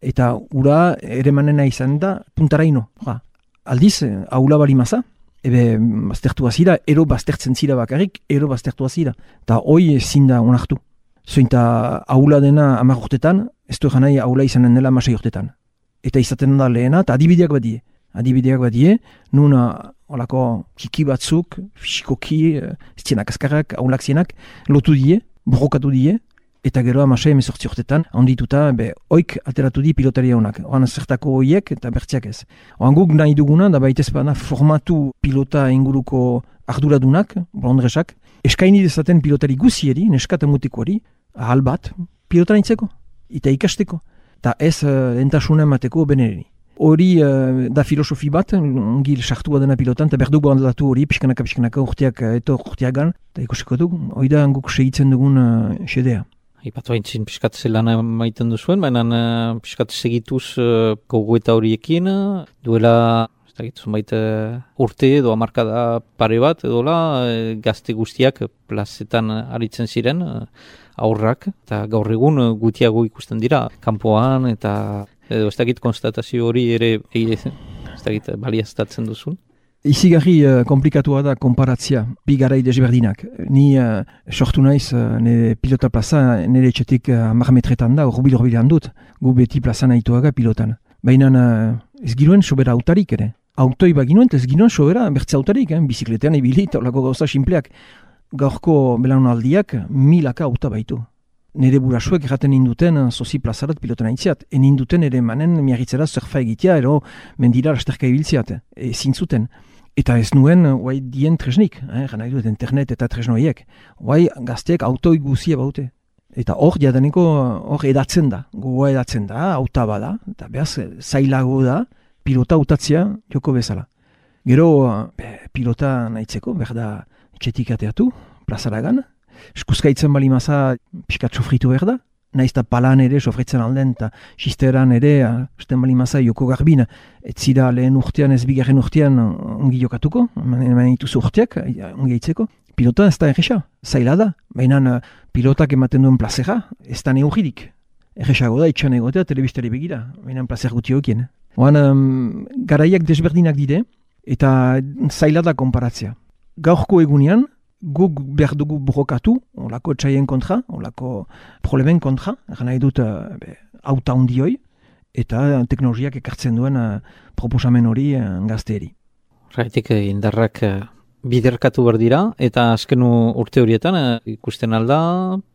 eta ura ere manena izan da puntaraino. Hora. Aldiz, aula balimaza, ebe baztertua zira, ero baztertzen zira bakarrik, ero baztertua zira. Eta hoi ezin da onartu. Zointa aula dena hamar urtetan, ez du egan nahi aula izanen dela hamasei urtetan. Eta izaten da lehena, eta adibideak badie. Adibideak badie, nun olako kiki batzuk, fisikoki, zienak azkarrak, aulak zienak, lotu die, borrokatu die, eta gero hamasei emezortzi urtetan, handituta, be, oik ateratu di pilotaria honak. Oan zertako hoiek eta bertziak ez. Oan guk nahi duguna, da baitez bana formatu pilota inguruko arduradunak, bolondresak, eskaini dezaten pilotari guzieri, neskata mutikoari, ahal bat, pilota nintzeko, eta ikasteko, eta ez uh, entasuna emateko benereri. Hori uh, da filosofi bat, ongil sartua dena pilotan, eta berdugu handatu hori, pixkanaka, pixkanaka, urteak, eto urteagan, eta ikusiko dugu, hori da guk segitzen dugun uh, xedea. Ipatu haintzin piskat zelan maiten duzuen, baina uh, piskat segituz uh, gogoeta horiekin, uh, duela zunbait uh, urte edo hamarkada pare bat, edola uh, gazte guztiak plazetan aritzen ziren, uh, aurrak, eta gaur egun uh, gutiago ikusten dira, kanpoan, eta edo ez dakit konstatazio hori ere, ez dakit baliaztatzen duzun. Izigarri uh, komplikatua da konparatzia, bi garai desberdinak. Ni uh, sortu naiz, uh, nire pilota plaza, nire etxetik uh, hamar metretan da, horbil horbilean dut, gu beti plaza nahituaga pilotan. Baina uh, ez giruen sobera autarik ere. Autoi baginuen, ez ginuen sobera bertze autarik, eh? Bizikletean ibili, eta olako gauza simpleak. Gaurko belaunaldiak milaka auta baitu. Nire burasuek erraten induten sozi plazarat pilotan aintziat. En induten ere manen miarritzera surfa egitea, ero mendira lasterka ibiltziat. E, zintzuten. Eta ez nuen, guai dien tresnik, eh? Gana idut internet eta tresnoiek. Guai gazteek autoi guzia baute. Eta hor jadaneko hor edatzen da. Gogoa edatzen da, auta bada. Eta behaz, zailago da, pilota utatzea joko bezala. Gero, be, pilota nahitzeko, berda etxetik ateatu, plazaragan. Eskuzkaitzen bali maza pixkat sofritu behar da. Naiz eta palan ere sofritzen alden, eta xisteran ere, esten bali maza joko garbin, ez zira lehen urtean, ez bigarren urtean ongi jokatuko, eman dituzu urteak, ongi aitzeko. Pilota ez da erresa, zaila da. Baina pilotak ematen duen plazera, ez da neurridik. Erresago da, itxan egotea, telebistari begira, baina plazer guti hokien. Oan, um, garaiak desberdinak dire, eta zaila da konparatzea. Gaurko egunean, guk behar dugu borrokatu, olako etxaien kontra, olako problemen kontra, eran nahi dut uh, auta hundioi, eta teknologiak ekartzen duen uh, proposamen hori uh, gazteeri. Raitik indarrak uh, biderkatu behar dira, eta azken urte horietan uh, ikusten alda,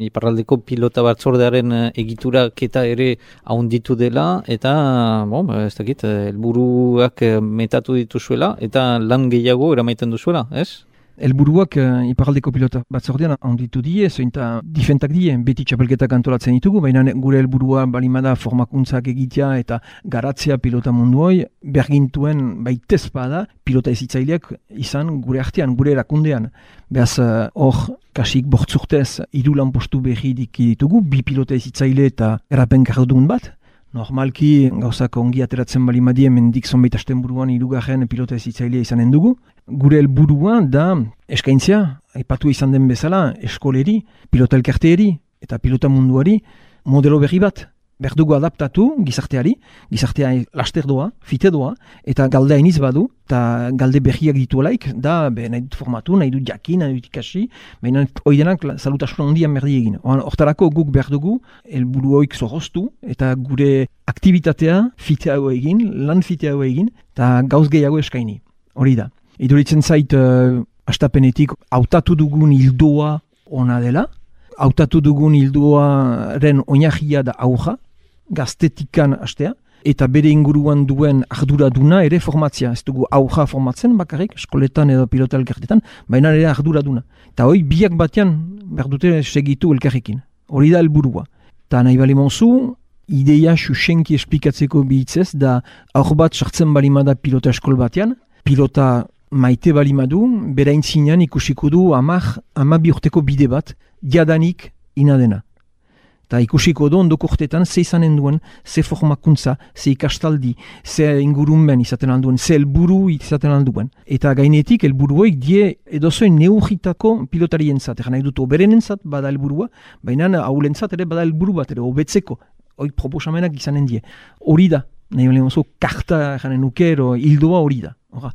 iparraldeko pilota batzordearen uh, egiturak eta ere haunditu dela, eta bon, ez dakit, helburuak uh, metatu dituzuela, eta lan gehiago eramaiten duzuela, ez? Elburuak uh, iparraldeko pilota batzordean handitu die, zointa difentak die, beti txapelketak antolatzen ditugu, baina gure helburua balimada formakuntzak egitea eta garatzea pilota munduoi, bergintuen baitez bada pilota ezitzaileak izan gure artean, gure erakundean. Behaz hor, uh, kasik bortzurtez, hiru lanpostu berri ditugu, bi pilota ezitzaile eta erapen kardun bat. Normalki, gauzak ongi ateratzen bali madie, mendik zonbait asten buruan hirugarren pilota ezitzailea izanen dugu. Gure helburua da eskaintzea, aipatu izan den bezala, eskoleri, pilota elkarteeri eta pilota munduari modelo berri bat. Berdugu adaptatu gizarteari, gizartea laster doa, fite doa, eta galde hainiz badu, eta galde berriak dituelaik, da be, nahi dut formatu, nahi dut jakin, nahi dut ikasi, baina oidenak salutasun handian berdi egin. Hortarako guk berdugu, helburu hoik zorroztu, eta gure aktivitatea fiteago egin, lan fiteago egin, eta gauz gehiago eskaini. Hori da. Iduritzen zait, uh, astapenetik, hautatu dugun hildoa ona dela, hautatu dugun hildoaren oinarria da aurra, gaztetikan astea, eta bere inguruan duen arduraduna ere formatzea. Ez dugu aurra formatzen bakarrik, eskoletan edo pilota elkartetan, baina ere arduraduna. Eta hoi biak batean berdute segitu elkarrekin. Hori da helburua. Eta nahi bali monzu, ideia xuxenki esplikatzeko bihitzez, da aur bat sartzen balimada pilota eskol batean, pilota maite balimadu, bera intzinean ikusiko du amak, ama bi urteko bide bat, diadanik ina dena. eta ikusiko do ondoko urteetan ze izanen duen, ze formakuntza, ze ikastaldi, ze ingurunben izaten alduen, ze helburu izaten alduen. Eta gainetik helburuoik die edozoin neurritako pilotarien zat, egan nahi dut oberenen zat bada helburua, baina haulen zat ere bada helburu bat ere, obetzeko, oik proposamenak izanen die. Hori da, nahi balen oso karta janen nukero, hildoa hori da. Hora.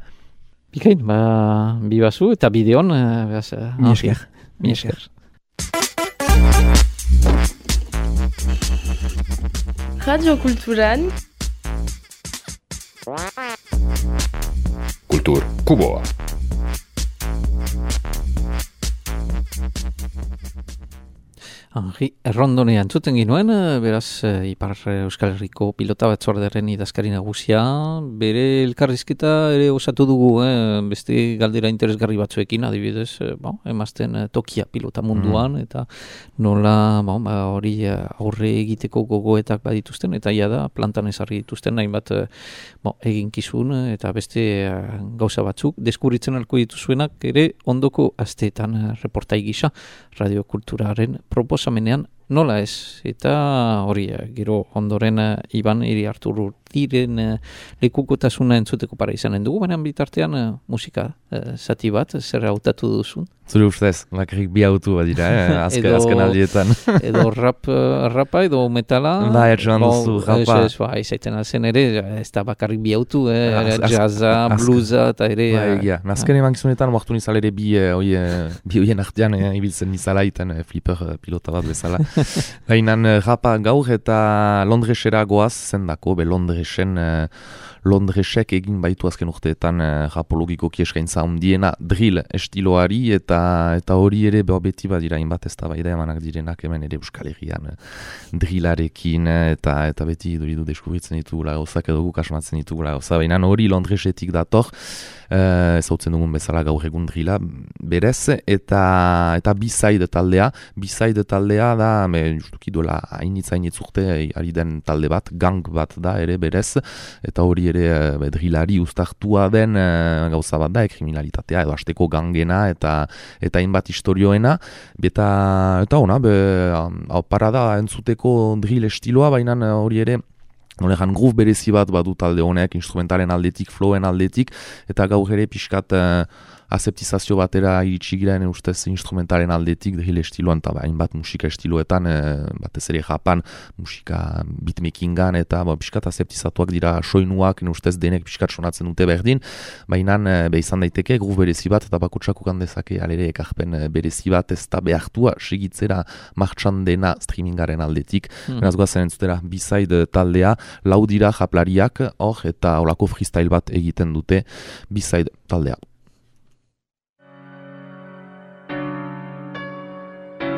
Bikain, ba, bibazu eta bideon. Uh, Mi esker. Mi esker. Radio Kulturan Kultur Kuboa. Henri Errondonean zuten ginuen, beraz, Ipar Euskal Herriko pilota batzordearen idazkari nagusia, bere elkarrizketa ere osatu dugu, eh? Beste galdera interesgarri batzuekin, adibidez, eh, bon, emazten tokia pilota munduan, mm. eta nola bon, ba, hori aurre egiteko gogoetak badituzten, eta ia da, plantan ezarri dituzten, hainbat bon, eginkizun, eta beste gauza batzuk, deskubritzen alko dituzuenak ere ondoko asteetan reportai gisa, radiokulturaren proposamenean nola ez, eta hori gero ondoren uh, Iban Iri Arturu diren uh, lekukotasuna entzuteko para izanen dugu, baina bitartean uh, musika uh, zati bat, zer hautatu duzun? Zure ustez, bakarrik bi autu bat dira, eh? Azken, edo, azken aldietan. Edo rap, uh, rapa edo metala. Ba, etxoan duzu, rapa. Ez, ba, izaiten alzen ere, ez da bakarrik bi autu, eh? Az, jazza, az, bluesa, eta ere. Ba, egia. Uh, Nazken eman gizunetan, moartu nizal ere bi, uh, oie, bi oien artean, eh, ibiltzen nizala, iten uh, flipper uh, pilota bat bezala. Gainan uh, rapa gaur eta Londresera goaz zendako, be Londresen... Uh, Londresek egin baitu azken urteetan uh, rapologiko kieskaintza handiena drill estiloari eta eta hori ere beti badira inbat ez da baida emanak direnak hemen ere Euskal Herrian uh, drillarekin uh, eta eta beti duridu deskubritzen ditugula gauzak edo guk asmatzen ditugula gauza, baina hori Londresetik dator uh, ezautzen dugun bezala gaur egun drilla berez eta eta B-side taldea B-side taldea da me, justuki duela hainitz hainitz urte ari den talde bat, gang bat da ere berez eta hori ere bedrilari uztartua den uh, gauza bat da, kriminalitatea edo hasteko gangena eta eta hainbat historioena eta eta ona be hau para da entzuteko drill estiloa, baina hori ere nolegan groove berezi bat badu talde honek, instrumentalen aldetik, flowen aldetik eta gaur ere pixkat uh, aseptizazio batera iritsi gira ene ustez instrumentalen aldetik drill estiloan eta hainbat musika estiloetan e, batez ere Japan musika beatmakingan eta ba, pixkat aseptizatuak dira soinuak ene ustez denek pixkat sonatzen dute berdin, baina be izan daiteke groove berezi bat eta bakutsak ukan dezake alere ekarpen berezi bat ez da behartua segitzera martxan dena streamingaren aldetik. Hmm. Beraz goazen entzutera B-side taldea, lau dira japlariak hor eta holako freestyle bat egiten dute B-side taldea.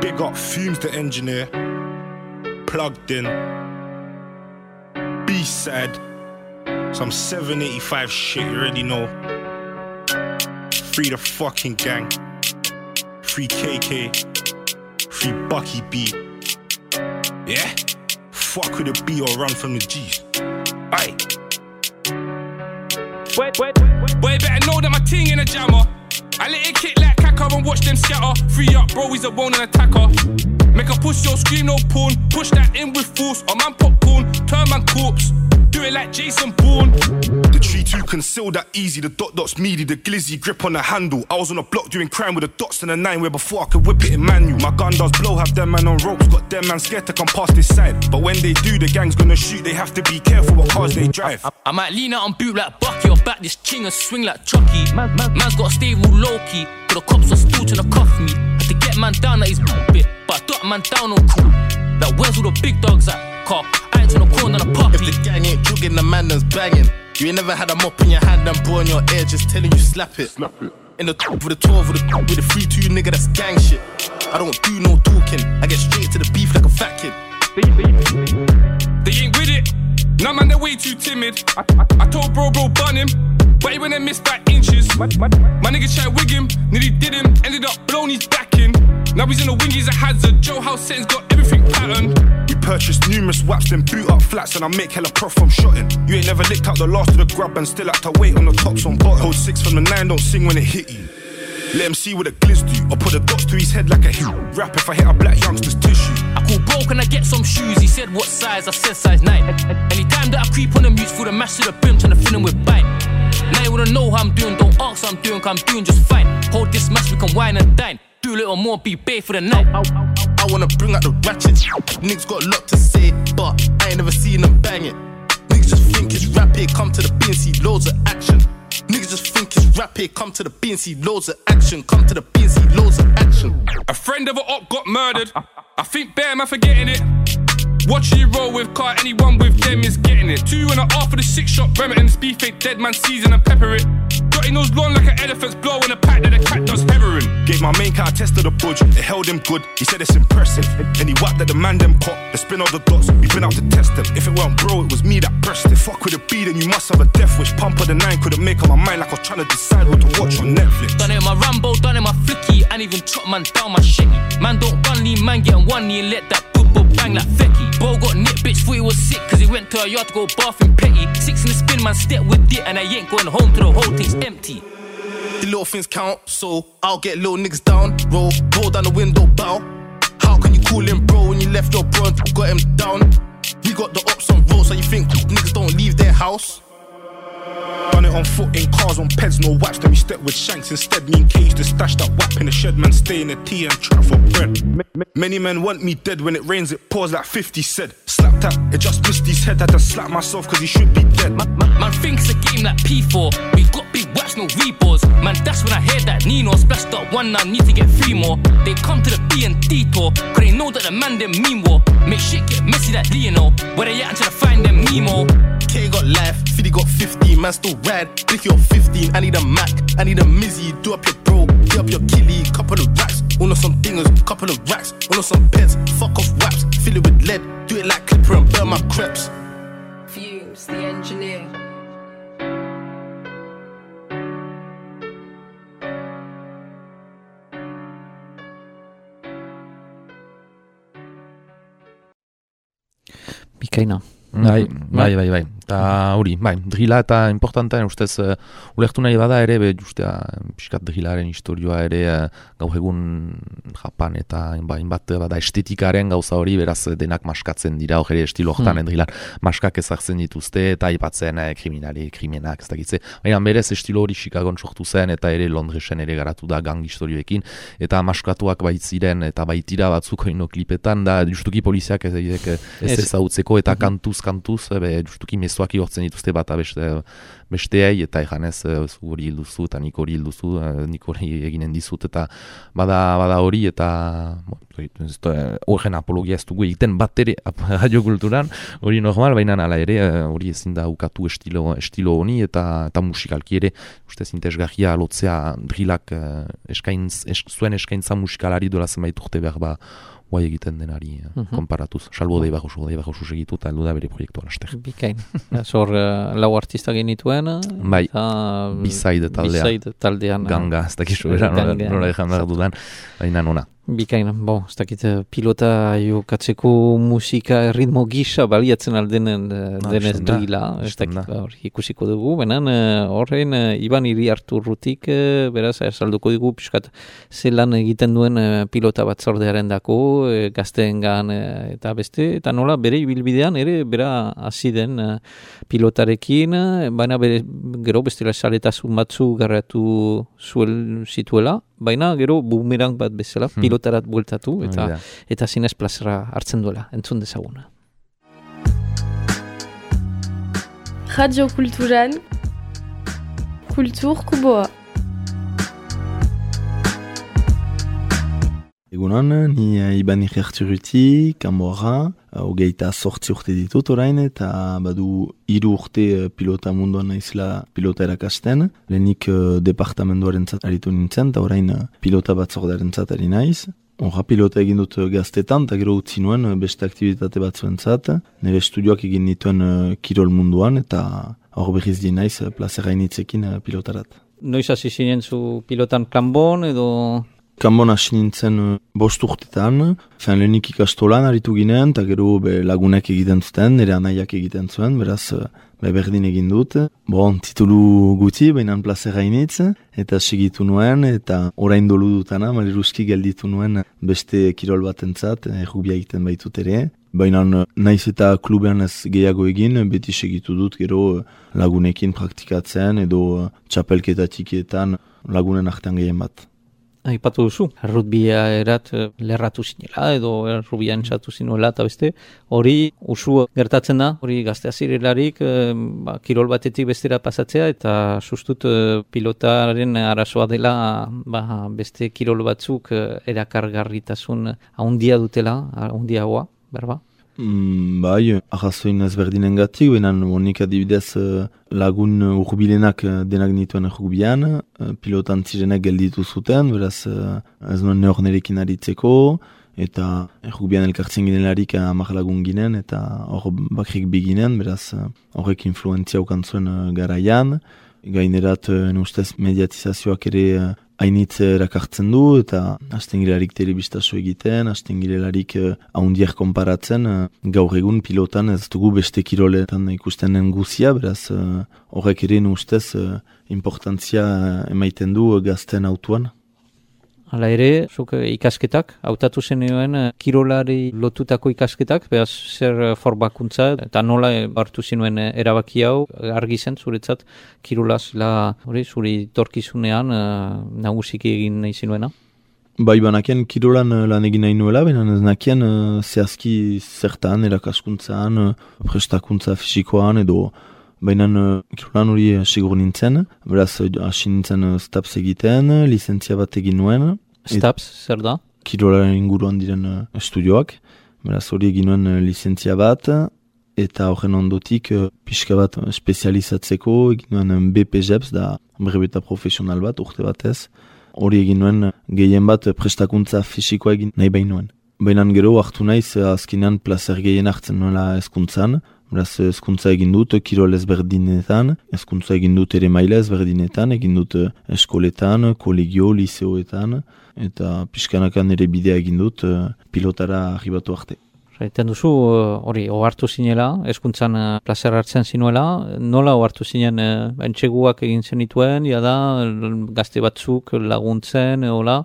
Big up Fumes the engineer, plugged in, B-side, some seven eighty-five shit, you already know. Free the fucking gang, free K K, free Bucky B. Yeah, fuck with the B or run from the G's. Aye. Wait, wait, wait. Boy, better know that my ting in a jammer. I let it kick like caca and watch them scatter. Free up, bro, he's a bone and attacker. Make a push, yo, scream no porn. Push that in with force, a man popcorn. Turn man corpse, do it like Jason Bourne. The tree two concealed that easy. The dot dot's meaty, the glizzy grip on the handle. I was on a block doing crime with the dots and a nine where before I could whip it in manual. My gun does blow, have them man on ropes. Got them man scared to come past this side. But when they do, the gang's gonna shoot. They have to be careful what cars they drive. I, I might lean out and boot like Bucky or back this king and swing like Chucky. Man, man, man's gotta stay real low-key. But the cops are still trying to cuff me. Had to get man down at his bit, but I got man down on crew. Like where's all the big dogs at? Car, I ain't on the corner than a puppy. If the gang ain't jogging, the man that's banging. You ain't never had a mop in your hand and bro in your ear just telling you slap it. Slap it. In the top with the twelve with the with the three two nigga that's gang shit. I don't do no talking. I get straight to the beef like a fat kid. They ain't with it. Nah man, they're way too timid. I, I, I told bro bro bun him, but he went and missed by inches. My, my, my nigga tried wig him, nearly did him, ended up blown his back in. Now he's in the wing, he's a hazard. Joe House settings got everything patterned. We purchased numerous waps, then boot up flats, and I make hella prof from shotting. You ain't never licked out the last of the grub and still had to wait on the tops on bottom. Hold six from the nine, don't sing when it hit you. Let him see what the glizz do. I'll put the dots to his head like a heel. Rap if I hit a black youngster's tissue. I call bro, can I get some shoes? He said what size? I said size nine. Anytime that I creep on the mutes, through the mash to the brim, trying to fill him with bite. Now you wanna know how I'm doing, don't ask how I'm doing, cause I'm doing just fine. Hold this match, we can wine and dine. Do a little more, be bae for the night. I wanna bring out the ratchets. Niggas got a lot to say, but I ain't never seen them bang it. Niggas just think it's rap here, come to the B and see loads of action. Niggas just think it's rap here, come to the B and see loads of action. Come to the B and see loads of action. A friend of a op got murdered. I think bear man forgetting it. Watch you roll with car, anyone with them is getting it. Two and a half for the six shot Remington's beef ain't dead man season and pepper it. Dotty nose long like an elephant's blow in a pack that a cat does heroin. Gave my main car a test of the budge, it held him good, he said it's impressive. And he whacked at the man them cop, the spin all the dots, we been out to test them. If it weren't bro, it was me that pressed it. Fuck with a B, then you must have a death wish. Pump of the nine couldn't make up my mind like I was trying to decide what to watch on Netflix. Done it in my Rambo, done it in my flicky, and even chop man down my shitty. Man don't run lean, man get one knee and let that boop boop bang like Fecky. Bo got nit, bitch, thought he was sick, cause he went to a yard to go bath in petty. Six in the spin, man step with it, and I ain't going home till the whole thing's empty. The little things count, so I'll get little niggas down. Roll, roll down the window, bow. How can you call him bro when you left your bro and got him down? We got the ops on roll, so you think niggas don't leave their house? Done it on foot, in cars, on peds, no wax. Then we step with shanks instead. Me and Cage to stash that whap in the shed. Man stay in the tea and trap for bread. Many men want me dead. When it rains it pours like fifty said. Slap tap, it just missed his head. Had to slap myself cause he should be dead. Man, man, man thinks a game like P four. We got big wax, no reboards. Man, that's when I hear that Nino splashed up one now, need to get three more. They come to the B and D tour, cause they know that the man them mean war. Make shit get messy like Lionel. Where they at, I'm trying to find them Nemo. K got life, Fiddy got fifteen, man still ride. Blicky on fifteen, I need a Mac, I need a Mizzy. Do up your bro, get up your killie, couple of racks. All of some dingers, couple of racks. All of some pets, fuck off waps. Fill it with lead, do it like Clipper and burn my crepes. Fumes, the engineer. Bikaina. Bai, bai, bai, bai. Eta hori, bai, drila eta importantean ustez uh, ulertu nahi bada ere, be, justea, piskat drilaren historioa ere uh, gaur egun Japan eta bai, bat bada estetikaren gauza hori, beraz denak maskatzen dira, hori estilo hortan hmm. drilar maskak ezartzen dituzte eta aipatzen eh, kriminali, krimenak, ez dakitze. Baina berez estilo hori Chicagon sortu zen eta ere Londresen ere garatu da gang historioekin eta maskatuak baitziren eta baitira batzuk oino klipetan da justuki poliziak ez, ez, ez ezautzeko eta kantuz, kantuz, be, justuki mezu Zuaki hortzen dituzte bat beste, besteei eta eganez zu hori hilduzu eta nik hori hilduzu, nik hori eginen dizut eta bada, bada hori eta horren apologia ez dugu egiten bat ere radiokulturan hori normal, baina ala ere hori ezin da ukatu estilo, estilo honi eta, eta musikalki ere ustez interesgarria lotzea drilak eskaintz, es, zuen eskaintza musikalari dola zenbait urte behar ba guai egiten denari uh-huh. konparatuz. Salbo dei bajosu, dei bajosu segitu eta heldu da bere proiektua laster. Bikain. Zor uh, lau artista genituen. Bai, Bizaide taldea. Bizaide taldean. Ganga, ez dakizu era, nola egan behar dudan, baina nona. Bikain, bon, ez dakit pilota jokatzeko musika ritmo gisa baliatzen aldenen denez drila, ez dakit hor ikusiko dugu, benen horrein Iban Iriarturrutik beraz salduko dugu piskat zelan egiten duen pilota batzordearen dako, gazteengan eta beste, eta nola bere ibilbidean ere bera hasi den pilotarekin, baina bere, gero bestela saletasun batzu garratu zuel zituela, baina gero bumerang bat bezala hmm. pilotarat bueltatu eta oh, eta zinez plazera hartzen duela, entzun dezaguna. Radio Kulturan Kultur Kuboa. Egunon, ni Iban Iriarturrutik, Kanborra, hogeita sortzi urte ditut orain, eta badu hiru urte pilota munduan naizela pilota erakasten. Lehenik departamenduaren zat aritu nintzen, eta orain pilota batzordearen zat ari naiz. Horra pilota egin dut gaztetan, eta gero utzi nuen beste aktivitate batzuen zat. Nire estudioak egin dituen kirol munduan, eta hor berriz di naiz plazera initzekin pilotarat. Noiz hasi zinen zu pilotan kanbon edo... Kanbon hasi nintzen uh, bost urtetan, fen lehenik ikastolan aritu ginen, eta gero be, lagunek egiten zuten, nire anaiak egiten zuen, beraz uh, be, berdin egin dut. Bon, titulu guti, baina plazera initz, eta segitu nuen, eta orain dolu dutana, maleruski gelditu nuen beste kirol batentzat, errubia egiten baitut ere. Baina naiz eta klubean ez gehiago egin, beti segitu dut gero lagunekin praktikatzen, edo txapelketa txikietan lagunen artean gehien bat. Aipatu duzu, errutbia erat lerratu zinela edo errubia entzatu zinuela eta beste, hori usu gertatzen da, hori gaztea zirelarik, e, ba, kirol batetik bestera pasatzea eta sustut e, pilotaren arazoa dela ba, beste kirol batzuk e, erakargarritasun haundia dutela, haundiagoa, berba? Mm, bai, arrazoin ezberdinen gatik, benan honik adibidez lagun urbilenak denak nituen errubian, pilotan zirenek gelditu zuten, beraz ez nuen neor nerekin aritzeko, eta errubian elkartzen ginelarik hamar lagun ginen, eta hor bakrik biginen, beraz horrek influentzia ukan zuen garaian, gainerat ustez mediatizazioak ere hainitz erakartzen du, eta hasten girelarik telebistazo egiten, hasten girelarik haundiak konparatzen, gaur egun pilotan ez dugu beste kiroletan ikusten den guzia, beraz horrek ere ustez importantzia emaiten du gazten autuan. Hala ere, zuk ikasketak, hautatu zenioen kirolari lotutako ikasketak, behaz zer formakuntza, eta nola hartu zinuen erabaki hau, argi zen zuretzat kirolaz, la, hori, zuri torkizunean nagusiki egin nahi zinuena? Bai, banakien kirolan lan egin nahi nuela, baina ez nakien zehazki zertan, erakaskuntzan, prestakuntza fisikoan edo, baina kirolan hori sigur nintzen, beraz hasi nintzen staps egiten, lizentzia bat egin nuen. Staps, zer da? Kirolaren inguruan diren estudioak, beraz hori egin nuen lizentzia bat, eta horren ondotik pixka bat spezializatzeko egin nuen B P J E P S, da brebeta profesional bat, urte batez. Hori egin nuen gehien bat prestakuntza fisikoa egin nahi bain nuen. Baina gero hartu naiz azkenean plazer gehien hartzen nuela hezkuntzan, beraz hezkuntza egin dut kirol ezberdinetan, hezkuntza egin dut ere maila ezberdinetan, egin dut eskoletan, kolegio, liseoetan, eta pixkanakan ere bidea egin dut pilotara arribatu arte. Zaiten duzu, hori, ohartu zinela, hezkuntzan plazer hartzen zinuela, nola ohartu zinen entseguak egin zenituen, jada gazte batzuk laguntzen, hola?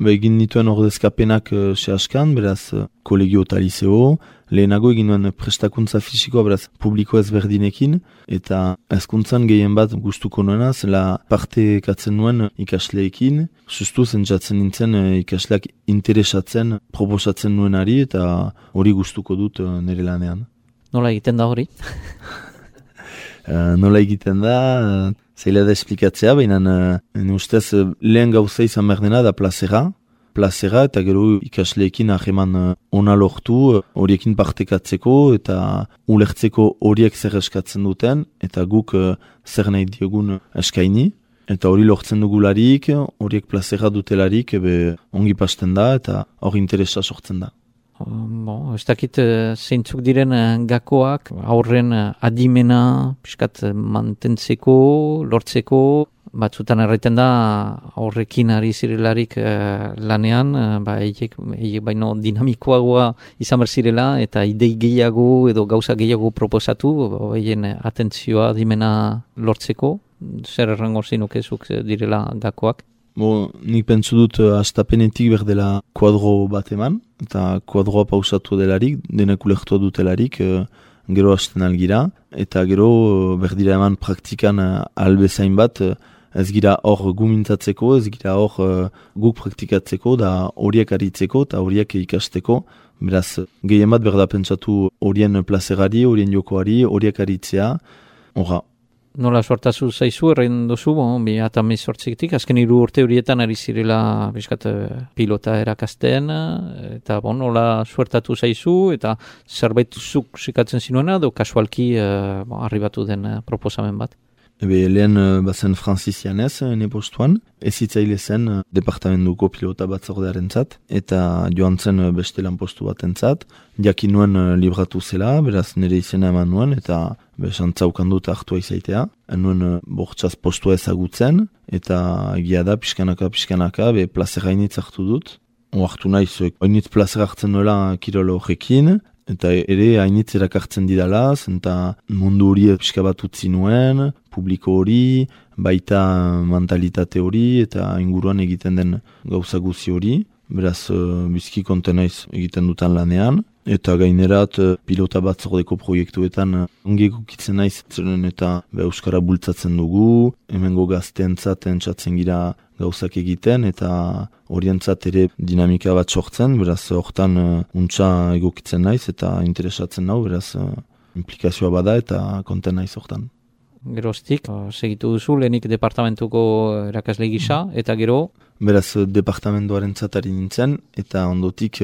Ba, egin nituen ordezkapenak uh, sehaskan, beraz uh, kolegio eta liseo, lehenago egin nuen prestakuntza fisikoa, beraz publiko ezberdinekin, eta hezkuntzan gehien bat gustuko nuena, zela parte katzen nuen ikasleekin, sustu zentzatzen nintzen uh, ikasleak interesatzen, proposatzen nuenari, eta hori gustuko dut uh, nire lanean. Nola egiten da hori? uh, nola egiten da... Uh, Zaila da esplikatzea, baina uh, ustez uh, lehen gauza izan behar dena da plazera. Plazera eta gero ikasleekin aheman uh, ona lortu, horiekin uh, partekatzeko eta ulertzeko horiek zer eskatzen duten, eta guk uh, zer nahi diogun eskaini. Eta hori lortzen dugularik, horiek plazera dutelarik, ebe ongi pasten da eta hori interesa sortzen da. Bon, ez dakit zeintzuk diren gakoak, aurren adimena, piskat mantentzeko, lortzeko, batzutan erraiten da aurrekin ari zirelarik eh, lanean, ba, eiek, eiek baino dinamikoagoa izan behar zirela, eta idei gehiago edo gauza gehiago proposatu, eien atentzioa adimena lortzeko, zer errango zinukezuk direla gakoak? Bo, nik pentsu dut hastapenetik berdela kuadro bat eman, eta kuadroa pausatu delarik, denak ulertua dutelarik, uh, gero hasten algira, eta gero uh, berdira eman praktikan uh, albezain bat, uh, ez gira hor gumintzatzeko, ez gira hor uh, guk praktikatzeko, da horiek aritzeko eta horiek ikasteko, beraz, gehien bat berda pentsatu horien plazerari, horien jokoari, horiek aritzea, horra. Nola sortazu zaizu, errain duzu, bon, bi eta mezortzikitik, azken hiru urte horietan ari zirela biskat, pilota erakasten, eta bon, nola suertatu zaizu, eta zerbait zuk sikatzen zinuena, edo kasualki uh, bon, arribatu den uh, proposamen bat? Ebe, lehen uh, bazen Francis Janez, ene postuan, ezitzaile zen uh, departamentuko pilota batzordearen zat, eta joan zen uh, beste lan postu baten zat, jakin nuen uh, libratu zela, beraz nire izena eman nuen, eta besantzaukan dut hartua izaitea. Nuen uh, bortxaz postua ezagutzen, eta egia da, pixkanaka, pixkanaka, be plazer hainitz hartu dut. Oartu naiz, hainitz plazer hartzen nuela kirolo horrekin, eta ere hainitz erakartzen didala, eta mundu hori pixka bat utzi nuen, publiko hori, baita mentalitate hori, eta inguruan egiten den gauza guzi hori. Beraz, uh, bizki konten naiz egiten dutan lanean. Eta gainerat, uh, pilota batzordeko proiektuetan uh, ongi egokitzen naiz, zeren eta be, euskara bultzatzen dugu, hemengo gazteentzat entzatzen gira gauzak egiten, eta horientzat ere dinamika bat sortzen, beraz, hortan uh, untsa egokitzen naiz, eta interesatzen nau, beraz, uh, implikazioa bada, eta konten naiz hortan. Geroztik, segitu duzu, lehenik departamentuko erakasle gisa, eta gero? Beraz, departamentoaren zatari nintzen, eta ondotik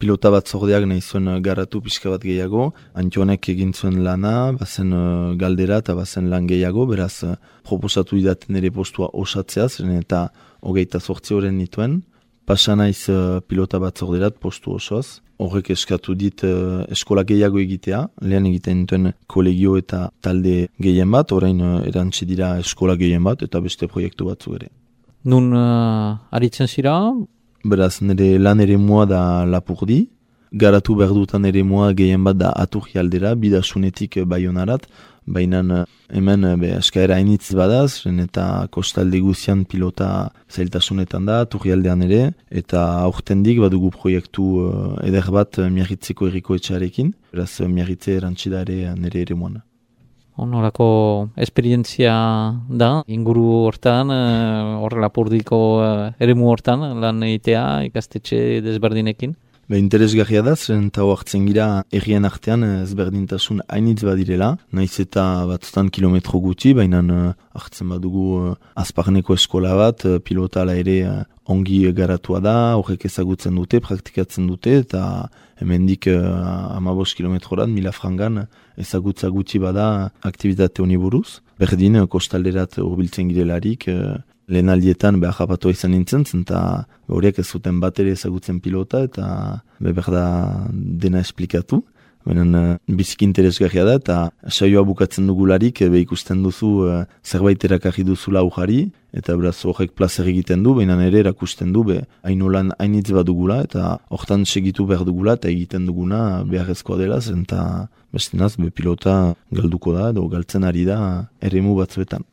pilota bat zordeak nahi zuen garatu pixka bat gehiago. Antionek egin zuen lana, bazen galdera eta bazen lan gehiago, beraz, proposatu idaten ere postua osatzea, zeren eta hogeita zortzi horren nituen. Pasa naiz pilota bat zorderat postu osoz. Horrek eskatu dit uh, eskola gehiago egitea, lehen egiten duten kolegio eta talde gehien bat, orain uh, erantzi dira eskola gehien bat eta beste proiektu batzu ere. Nun uh, aritzen zira? Beraz, nire lan ere mua da Lapurdi, garatu behar dutan ere mua gehien bat da Aturri aldera, bidasunetik Baionarat, baina hemen be, eskaera hainitz badaz, eta kostalde guzian pilota zailtasunetan da, Aturri aldean ere, eta aurtendik badugu proiektu uh, eder bat Miarritzeko herriko etxarekin, beraz Miarritze erantxida ere nire ere muan. Horako esperientzia da, inguru hortan, hor Lapurdiko eremu hortan, lan egitea ikastetxe desberdinekin? Be, interesgarria da, zeren eta hartzen gira errien artean ezberdintasun hainitz badirela, naiz eta batzutan kilometro gutxi, baina hartzen badugu azparneko eskola bat, pilota ala ere ongi garatua da, horrek ezagutzen dute, praktikatzen dute, eta hemendik hamabos kilometrorat, mila frangan ezagutza gutxi bada aktivitate honi buruz. Berdin, kostalderat urbiltzen girelarik, lehen aldietan behar japatua izan nintzen, eta horiek ez zuten bat ere ezagutzen pilota, eta behar da dena esplikatu. Benen biziki interesgarria da, eta saioa bukatzen dugularik be ikusten duzu uh, zerbait erakarri duzula ujari, eta beraz horrek plazer egiten du, baina ere erakusten du, be hainolan hainitz bat dugula, eta hortan segitu behar dugula, eta egiten duguna beharrezkoa dela, eta bestinaz be pilota galduko da, edo galtzen ari da eremu batzuetan.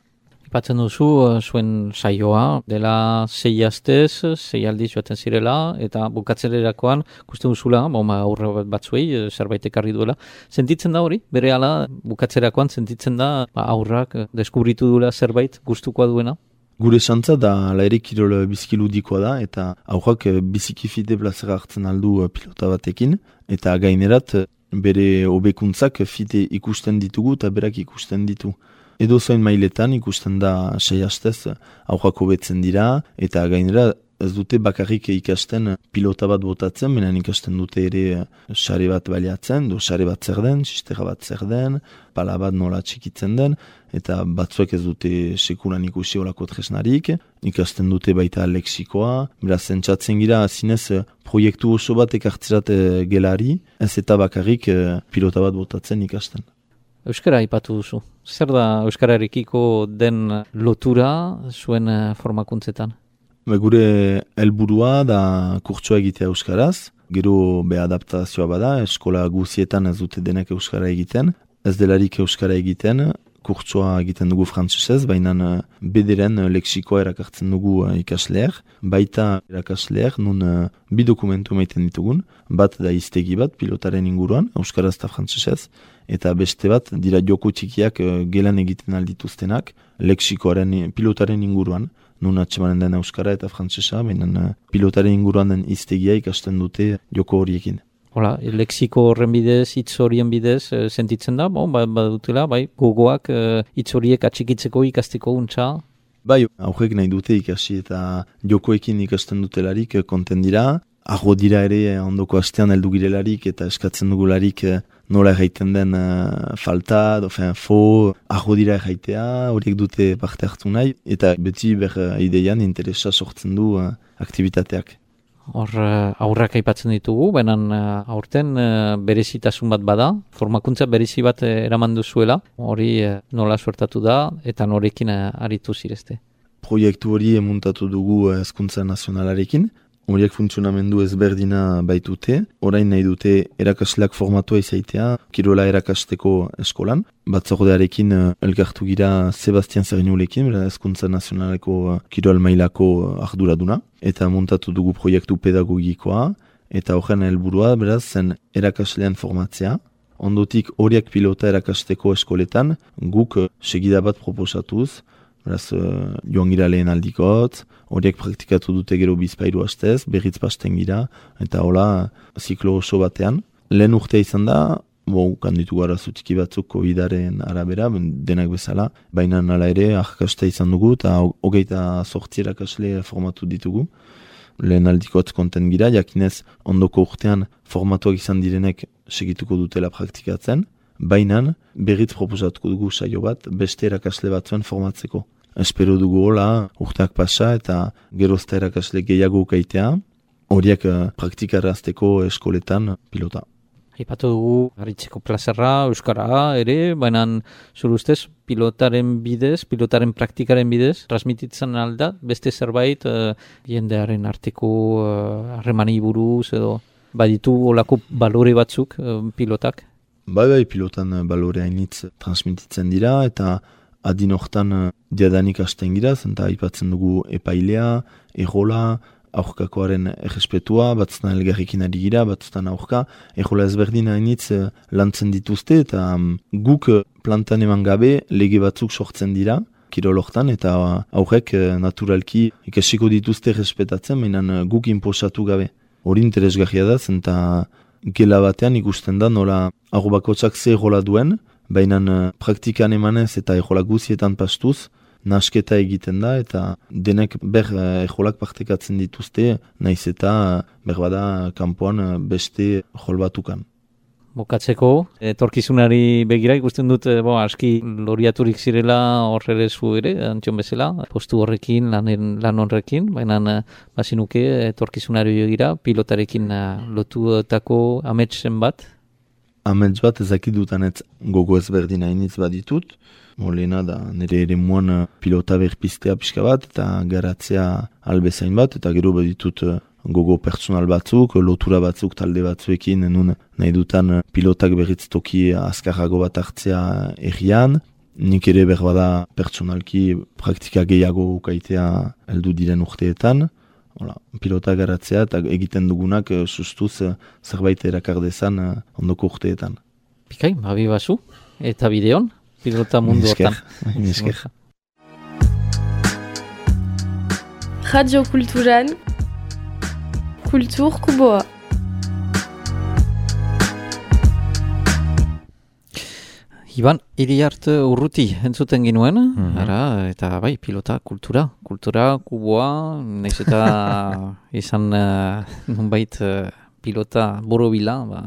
Ipatzen duzu, zuen saioa, dela sei astez, sei aldiz joaten zirela, eta bukatzererakoan, ikusten duzula, ba, aurre batzuei, zerbait ekarri duela. Sentitzen da hori, bere ala, bukatzerakoan sentitzen da, ba, aurrak deskubritu duela zerbait gustukoa duena? Gure xantza da, ala ere kirol biziki ludikoa da, eta aurrak biziki fite plazera hartzen aldu pilota batekin, eta gainerat bere hobekuntzak fite ikusten ditugu eta berak ikusten ditu. Edo zoin mailetan ikusten da sei hastez aurrak hobetzen dira, eta gainera ez dute bakarrik ikasten pilota bat botatzen, benen ikasten dute ere sare bat baliatzen, do sare bat zer den, sistera bat zer den, pala bat nola txikitzen den, eta batzuek ez dute sekulan ikusi olako tresnarik, ikasten dute baita lexikoa, beraz entzatzen gira zinez proiektu oso bat ekartzerat gelari, ez eta bakarrik pilota bat botatzen ikasten. Euskara ipatu duzu. Zer da euskararekiko den lotura zuen formakuntzetan? Be, gure helburua da kurtsoa egitea euskaraz, gero be adaptazioa bada, eskola guzietan ez dute denek euskara egiten, ez delarik euskara egiten, kurtsoa egiten dugu frantsesez, baina bederen lexikoa erakartzen dugu ikasleer, baita erakasleer, nun bi dokumentu maiten ditugun, bat da iztegi bat pilotaren inguruan, euskaraz eta frantsesez, eta beste bat dira joko txikiak gelan egiten aldituztenak, lexikoaren pilotaren inguruan, nun atxemanen den euskara eta frantsesa, baina pilotaren inguruan den iztegia ikasten dute joko horiekin. Hola, lexiko horren bidez, hitz horien bidez, e, sentitzen da, bon, ba, badutela, bai, gogoak e, hitz horiek atxikitzeko ikasteko untxa? Bai, aurrek nahi dute ikasi eta jokoekin ikasten dutelarik konten dira, arro dira ere ondoko astean heldu girelarik eta eskatzen dugularik nola erraiten den uh, falta, dofen, fo, arro dira erraitea, horiek dute parte hartu nahi, eta beti ber uh, ideian interesa sortzen du uh, aktivitateak. Hor uh, aurrak aipatzen ditugu, baina uh, aurten uh, berezitasun bat bada, formakuntza berezi bat uh, eraman duzuela, hori uh, nola suertatu da, eta norekin uh, aritu zirezte. Proiektu hori emuntatu dugu uh, Hezkuntza Nazionalarekin, horiek funtzionamendu ezberdina baitute, orain nahi dute erakasleak formatua izaitea, kirola erakasteko eskolan. Batzordearekin uh, elkartu gira Sebastian Zernulekin, Hezkuntza Nazionaleko uh, kirol mailako uh, arduraduna, eta montatu dugu proiektu pedagogikoa, eta horren helburua beraz zen erakaslean formatzea. Ondotik horiek pilota erakasteko eskoletan, guk uh, segida bat proposatuz, beraz uh, joan gira lehen aldikot, horiek praktikatu dute gero bizpairu hastez, berriz pasten gira, eta hola ziklo oso batean. Lehen urtea izan da, bo, kanditu gara zutiki batzuk covidaren arabera, denak bezala, baina nala ere ahkasta izan dugu, eta hogeita sortzi erakasle formatu ditugu. Lehen aldikot konten gira, jakinez ondoko urtean formatuak izan direnek segituko dutela praktikatzen, baina berriz proposatuko dugu saio bat, beste erakasle batzuen formatzeko. Espero dugu hola, urteak pasa eta gerozta erakasle gehiago ukaitea, horiek uh, praktikarazteko eskoletan pilota. Aipatu dugu haritzeko plazerra, euskara ere, baina zure ustez pilotaren bidez, pilotaren praktikaren bidez, transmititzen alda, beste zerbait uh, jendearen arteko harremani uh, buruz edo baditu olako balore batzuk uh, pilotak? Bai, bai, pilotan balore hainitz transmititzen dira eta adin hortan diadanik hasten gira, zenta aipatzen dugu epailea, errola, aurkakoaren errespetua, batzutan elgarrikin ari gira, batzutan aurka, errola ezberdin hainitz lantzen dituzte eta guk plantan eman gabe lege batzuk sortzen dira, kirol hortan, eta aurrek naturalki ikasiko dituzte errespetatzen, mainan guk inposatu gabe. Hori interesgarria da, zenta gela batean ikusten da nola arrobakotxak ze errola duen, baina praktikan emanez eta errola guzietan pastuz, nasketa egiten da eta denek ber errolak partekatzen dituzte, naiz eta berbada kanpoan beste errol batukan. Bokatzeko, etorkizunari begira ikusten dut, bo, aski loriaturik zirela horre zu ere, antxon bezala, postu horrekin, lan, lan horrekin, baina bazinuke etorkizunari begira, pilotarekin lotutako ametsen bat? Amets bat ezakidutan ez gogo ezberdin hainitz baditut. Molena da nire ere muan pilota berpiztea pixka bat eta garatzea albezain bat eta gero baditut gogo personal batzuk, lotura batzuk talde batzuekin nun nahi dutan pilotak berriz toki azkarrago bat hartzea errian. Nik ere berbada personalki praktika gehiago ukaitea heldu diren urteetan. Hola, pilota garatzea eta egiten dugunak sustuz zerbait erakardezan ondoko urteetan. Pikai, babi basu, eta bideon, pilota mundu hortan. Minesker. Radio Kulturan, Kultur Kuboa. Iban, Iriart Urruti entzuten ginuen, mm-hmm. ara, eta bai, pilota, kultura, kultura, kuboa, naiz eta izan uh, nonbait uh, pilota borobila, ba,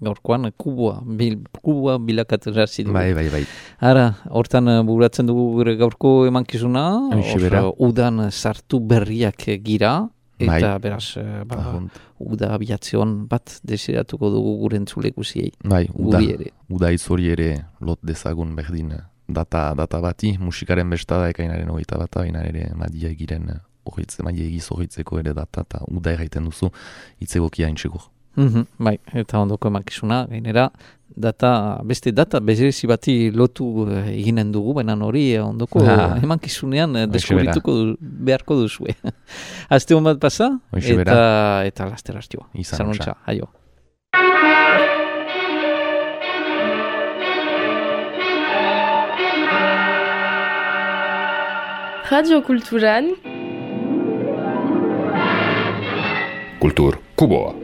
gaurkoan kuboa, bil, kuboa bilakatu jarzi dugu. Bai, bai, bai. Ara, hortan uh, buratzen dugu gure gaurko emankizuna, hor udan sartu berriak gira, eta bai. Beraz, uh, ba, uda abiatzion bat desiratuko dugu gure entzule guziei. Bai, uda, ere. uda izori ere lot dezagun berdin data, data bati, musikaren bestada ekainaren hogeita bata, baina ere madia egiren horretze, madia egiz horretzeko ere data, eta uda erraiten duzu itzegokia intxegur. Mm-hmm, bai, eta ondoko emakizuna, gainera, data, beste data bezirezi bati lotu eginen dugu, baina hori ondoko ah, emankizunean deskubrituko du, beharko duzue. Azte hon bat pasa, eta, eta laster hartio. Izan ontsa, haio. Radio Kulturan, Kultur Kuboa.